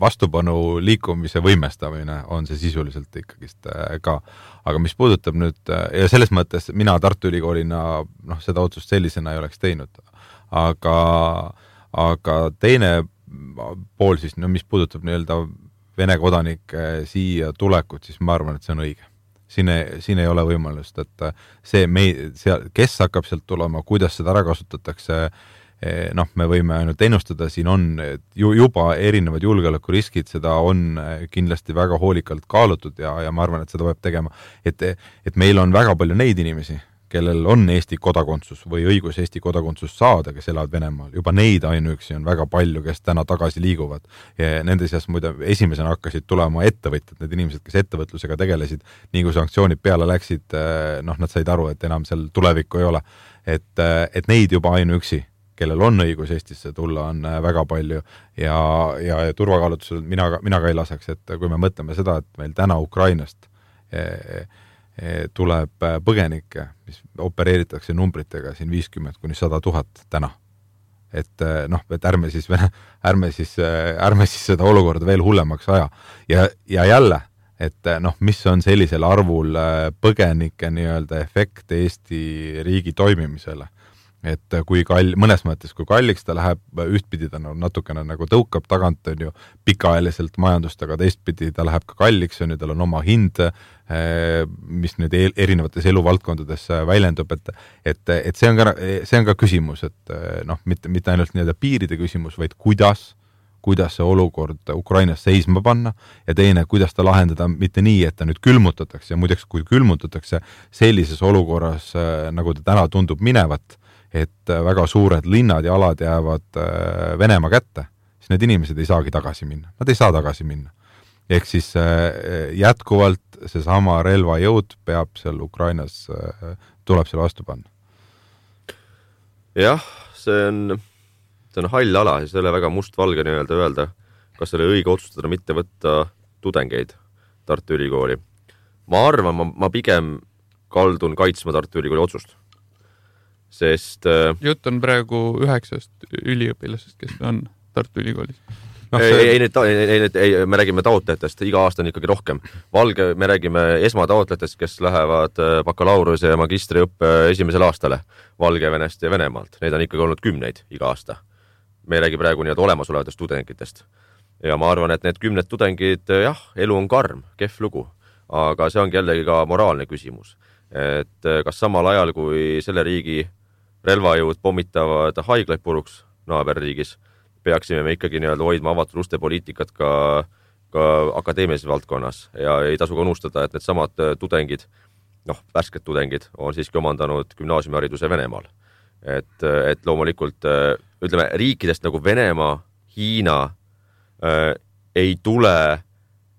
vastupanu liikumise võimestamine on see sisuliselt ikkagist ka. Aga mis puudutab nüüd, ja selles mõttes mina Tartu Ülikoolina noh, seda otsust sellisena ei oleks teinud, aga, aga teine pool siis, no mis puudutab nii-öelda Vene kodanike siia tulekut, siis ma arvan, et see on õige. Siin ei, siin ei ole võimalust, et see, me, seal, kes hakkab sealt tulema, kuidas seda ära kasutatakse, noh, me võime ainult ennustada, siin on ju, juba erinevad julgeolekuriskid, seda on kindlasti väga hoolikalt kaalutud ja, ja ma arvan, et seda peab tegema, et, et meil on väga palju neid inimesi, kellel on Eesti kodakondsus või õigus Eesti kodakondsus saada, kes elavad Venemaal. Juba neid ainuüksi on väga palju, kes täna tagasi liiguvad. Ja nende seas muide esimesena hakkasid tulema ettevõtjad, need inimesed, kes ettevõtlusega tegelesid, nii kui sanktsioonid peale läksid, noh, nad said aru, et enam seal tulevikku ei ole. Et, et neid juba ainuüksi, kellel on õigus Eestisse tulla, on väga palju ja, ja, ja turvakaalutusel mina, mina ka ei laseks, et kui me mõtleme seda, et meil täna Ukrainast e, e, tuleb põgenikke, mis opereeritakse numbritega siin viiskümmend kuni sada tuhat täna. Et noh, et ärme siis, ärme siis, ärme siis seda olukorda veel hullemaks aja. Ja, ja jälle, et noh, mis on sellisel arvul põgenike nii-öelda efekt Eesti riigi toimimisele. Et kui kall, mõnes mõttes, kui kalliks ta läheb, ühtpidi ta natukene nagu tõukab tagant, on ju pikaajaliselt majandust, aga teistpidi ta läheb ka kalliks, on ju, tal on oma hind, mis nüüd erinevates eluvaldkondades väljendub, et, et, et see on ka, see on ka küsimus, et noh, mitte, mitte ainult nii-öelda piiride küsimus, vaid kuidas, kuidas see olukord Ukrainas seisma panna ja teine, kuidas ta lahendada mitte nii, et ta nüüd külmutatakse ja muideks, kui külmutatakse sellises olukorras, nagu ta täna tundub minevat, et väga suured linnad ja alad jäävad Venemaa kätte, siis need inimesed ei saagi tagasi minna. Nad ei saa tagasi minna. Ehk siis jätkuvalt seesama relvajõud peab seal Ukrainas, tuleb seal vastu panna. Jah, see on, see on hall ala, siis ei ole väga must-valge nii-öelda öelda, kas oli õige otsustada mitte võtta tudengeid Tartu Ülikooli. Ma arvan, ma, ma pigem kaldun kaitsma Tartu Ülikooli otsust. Sest jutt on praegu üheksast üliõpilasest, kes on Tartu Ülikoolis. No, see... ei, ei, ei, ei, ei, me räägime taotlejatest, iga aasta on ikkagi rohkem. Valge, me räägime esmataotlejatest, kes lähevad bakalaureuse ja magistriõppe esimesel aastale Valgevenest ja Venemaalt. Neid on ikkagi olnud kümneid iga aasta. Me ei räägi praegu nii-öelda olemasolevatest tudengitest. Ja ma arvan, et need kümned tudengid, jah, elu on karm, kehv lugu, aga see ongi jällegi ka moraalne küsimus. Et kas samal ajal, kui selle riigi relvajõud pommitavad haiglaid puruks naaberriigis, peaksime me ikkagi nii-öelda hoidma avatud uste poliitikat ka, ka akadeemilises valdkonnas ja ei tasu ka unustada, et need samad tudengid, noh, värsked tudengid on siiski omandanud gümnaasiumihariduse Venemaal. Et, et loomulikult, ütleme, riikidest nagu Venemaa, Hiina äh, ei tule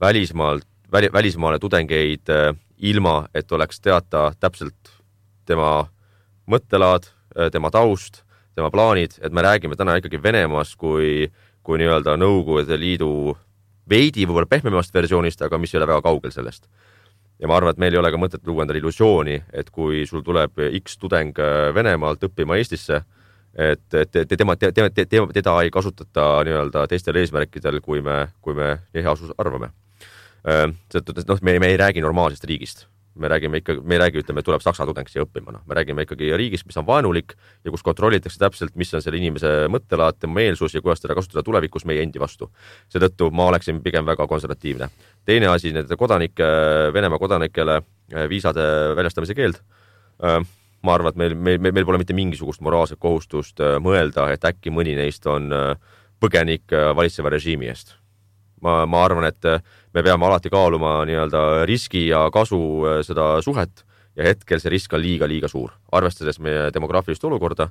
välismaalt, väli, välismaale tudengeid äh, ilma, et oleks teata täpselt tema mõttelaad, tema taust, tema plaanid, et me räägime täna ikkagi Venemaast kui, kui nii-öelda Nõukogude Liidu veidi võib-olla pehmemast versioonist, aga mis ei ole väga kaugel sellest. Ja ma arvan, et meil ei ole ka mõtet luua endale illusiooni, et kui sul tuleb X tudeng Venemaalt õppima Eestisse, et, et tema, tema, tema, teda ei kasutata nii-öelda teistel eesmärkidel, kui me, kui me nii hea asus arvame. No, me, me ei räägi normaalsest riigist. Me räägime ikkagi, me ei räägi, ütleme, tuleb Saksa tudeng siia õppima. No. Me räägime ikkagi riigist, mis on vaenulik ja kus kontrollitakse täpselt, mis on selle inimese mõttelaad, tema meelsus ja kuidas teda kasutada tulevikus meie endi vastu. Seetõttu ma oleksin pigem väga konservatiivne. Teine asi, need kodanike, Venemaa kodanikele viisade väljastamise keeld. Ma arvan, et meil, meil, meil pole mitte mingisugust moraalset kohustust mõelda, et äkki mõni neist on põgenik valitseva režiimi eest. Ma, ma arvan, et me peame alati kaaluma nii-öelda riski ja kasu seda suhet ja hetkel see risk on liiga-liiga suur. Arvestades meie demograafilist olukorda,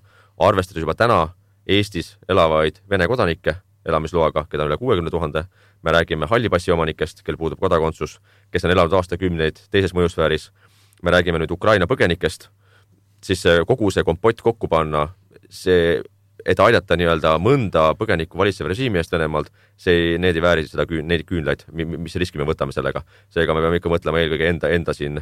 arvestades juba täna Eestis elavaid Vene kodanikke elamisloaga, keda on üle kuuekümne tuhande, me räägime hallipassi omanikest, kel puudub kodakondsus, kes on elanud aastakümneid teises mõjusfääris, me räägime nüüd Ukraina põgenikest, siis kogu see kompott kokku panna, see et aidata nii-öelda mõnda põgenikku valitseva režiimi eest Venemaalt, see, need ei vääri seda küün, neid küünlaid, mis riski me võtame sellega. Seega me peame ikka mõtlema eelkõige enda, enda siin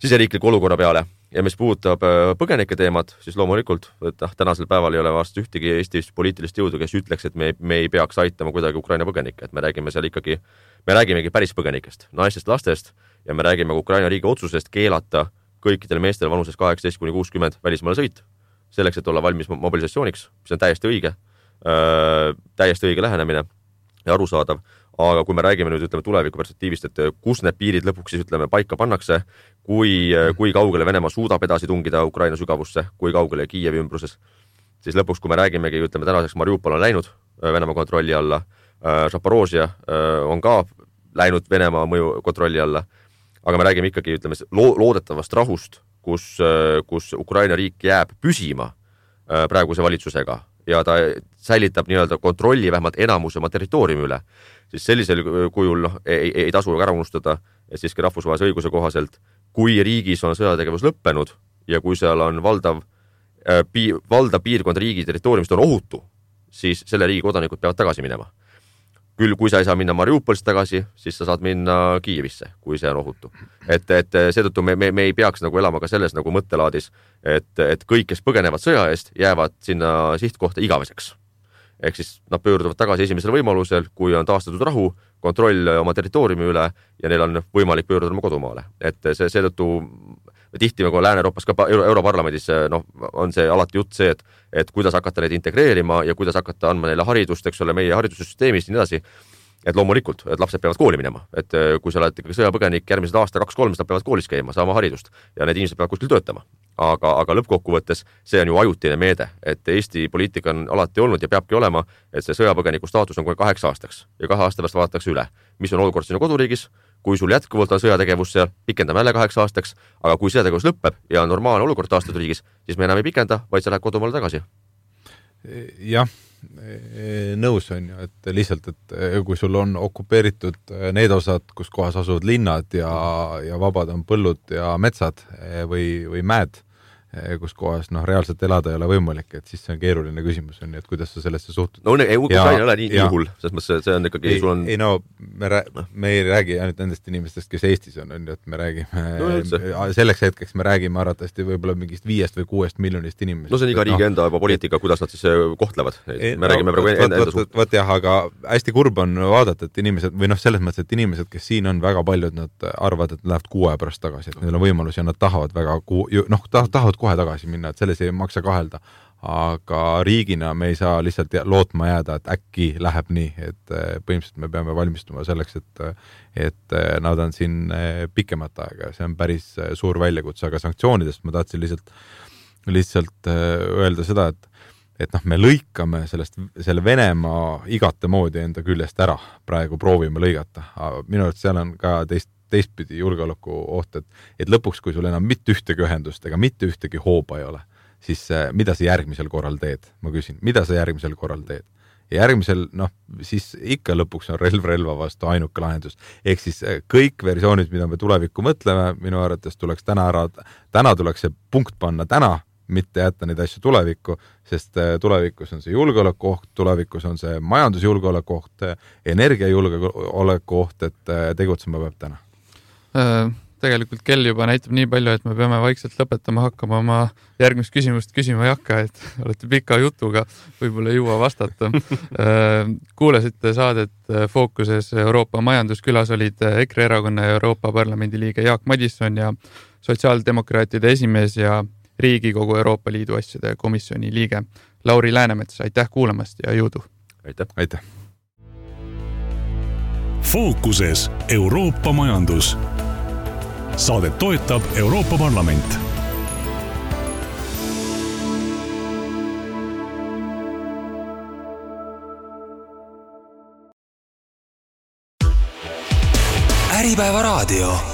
siseriikliku olukorra peale. Ja mis puudutab põgenike teemat, siis loomulikult, et tänasel päeval ei ole vast ühtegi Eestis poliitilist jõudu, kes ütleks, et me, me ei peaks aitama kuidagi Ukraina põgenikke. Et me räägime seal ikkagi, me räägimegi päris põgenikest, naistest, lastest ja me räägime Ukraina riigi otsusest keelata kõikidel meestel vanuses kaheksateist kuni kuuskümmend välismaale sõit. Selleks, et olla valmis mobilisatsiooniks, mis on täiesti õige, äh, täiesti õige lähenemine ja arusaadav. Aga kui me räägime nüüd, ütleme, tuleviku perspektiivist, et kus need piirid lõpuks siis, ütleme, paika pannakse, kui, kui kaugele Venemaa suudab edasi tungida Ukraina sügavusse, kui kaugele Kiievi ümbruses, siis lõpuks, kui me räägimegi, ütleme, tänaseks Mariupol on läinud Venemaa kontrolli alla, äh, Zaporozhia äh, on ka läinud Venemaa mõju kontrolli alla, aga me räägime ikkagi, ütleme, lo- loodetavast rahust, kus, kus Ukraina riik jääb püsima praeguse valitsusega ja ta säilitab nii-öelda kontrolli vähemalt enamus oma territooriumi üle, siis sellisel kujul no, ei, ei tasu ära unustada, et siiski rahvusvahelise õiguse kohaselt, kui riigis on sõjategevus lõppenud ja kui seal on valdav pii, valda piirkond riigi territooriumist on ohutu, siis selle riigi kodanikud peavad tagasi minema. Küll, kui sa ei saa minna Mariupolist tagasi, siis sa saad minna Kiievisse, kui see on ohutu. Et, et seetõttu me, me, me ei peaks nagu elama ka selles nagu mõttelaadis, et, et kõik, kes põgenevad sõja eest, jäävad sinna sihtkohta igaveseks. Ehk siis nad pöörduvad tagasi esimesel võimalusel, kui on taastatud rahu, kontroll oma territooriumi üle ja neil on võimalik pöörduda oma kodumaale. Et see, seetõttu tihti nagu Lääne-Euroopas ka Euro Europarlamendis no, on see alati jutt see, et, et kuidas hakata neid integreerima ja kuidas hakata andma neile haridust, eks ole, meie haridussüsteemist ja nii edasi. Et loomulikult, et lapsed peavad kooli minema. Et kui sa oled ikkagi sõjapõgenik järgmised aasta kaks kolm, nad peavad koolis käima, saama haridust ja need inimesed peavad kuskil töötama. Aga, aga lõppkokkuvõttes see on ju ajutine meede, et Eesti poliitika on alati olnud ja peabki olema, et see sõjapõgeniku staatus on kohe kaheks aastaks ja kahe aasta pärast vaadatakse üle, mis on olukord sinu koduriigis. Kui sul jätkuvalt on sõjategevus seal, pikendame jälle kaheks aastaks, aga kui sõjategevus lõpeb ja on normaalne olukord taastatud riigis, siis me enam ei pikenda, vaid sa lähed kodumaale tagasi. Jah, nõus on ju, et lihtsalt, et kui sul on okupeeritud need osad, kus kohas asuvad linnad ja, ja vabad on põllud ja metsad või, või mäed, kus kohas noh, reaalselt elada ei ole võimalik, et siis see on keeruline küsimus, on, et kuidas sa sellesse suhtud. No ei, Ukraina ei ole nii, nii hull, sest mõttes see on ikkagi... Ei, sul on... ei no, me, rää... me ei räägi ainult nendest inimestest, kes Eestis on, on, et me räägime no, selleks hetkeks me räägime arvatavasti võib-olla mingist viiest või kuuest miljonist inimesest. No see on iga riigi no, enda juba poliitika, kuidas nad siis kohtlevad. Me no, räägime praegu enda, enda suht. Võt jah, aga hästi kurb on vaadata, et inimesed, või noh, selles mõttes, et inimesed, kes siin on väga paljud, nad arvavad, et nad lähevad kuu aja pärast tagasi, et neil on võimalus ja nad tahavad väga kuu... noh, tahavad kohe tagasi minna, et selles ei maksa kahelda, aga riigina me ei saa lihtsalt lootma jääda, et äkki läheb nii, et põhimõtteliselt me peame valmistuma selleks, et, et nad on siin pikemat aega, see on päris suur väljakutse, aga sanktsioonidest ma tahtsin lihtsalt, lihtsalt öelda seda, et, et noh, me lõikame sellest, selle Venemaa igate moodi enda küljest ära, praegu proovime lõigata, minu arvates seal on ka teist teistpidi julgeoleku oht, et, et lõpuks, kui sul enam mitte ühtegi ühendust ega mitte ühtegi hooba ei ole, siis mida sa järgmisel korral teed? Ma küsin, mida sa järgmisel korral teed? Ja järgmisel, noh, siis ikka lõpuks on relv relva vastu ainuke lahendus. Ehk siis kõik versioonid, mida me tulevikku mõtleme, minu arvates tuleks täna ära, täna tuleks see punkt panna täna, mitte jätta neid asju tulevikku, sest tulevikus on see julgeolekuoht, tulevikus on see majandusjulgeolekuoht, energiajulgeolekuoht, et tegutsema peab täna. Tegelikult kell juba näitab nii palju, et me peame vaikselt lõpetama hakkama, oma järgmist küsimust küsima ei hakka, et olete pika jutuga, võib-olla ei jõua vastata. Kuulasite saadet Fookuses Euroopa majanduskülas olid EKRE erakonna ja Euroopa Parlamendi liige Jaak Madisson ja sotsiaaldemokraatide esimees ja Riigikogu Euroopa Liidu asjade komisjoni liige Lauri Läänemets. Aitäh kuulamast ja jõudu! Aitäh! Aitäh! Fookuses Euroopa majandus. Saadet toetab Euroopa Parlament. Äripäeva raadio.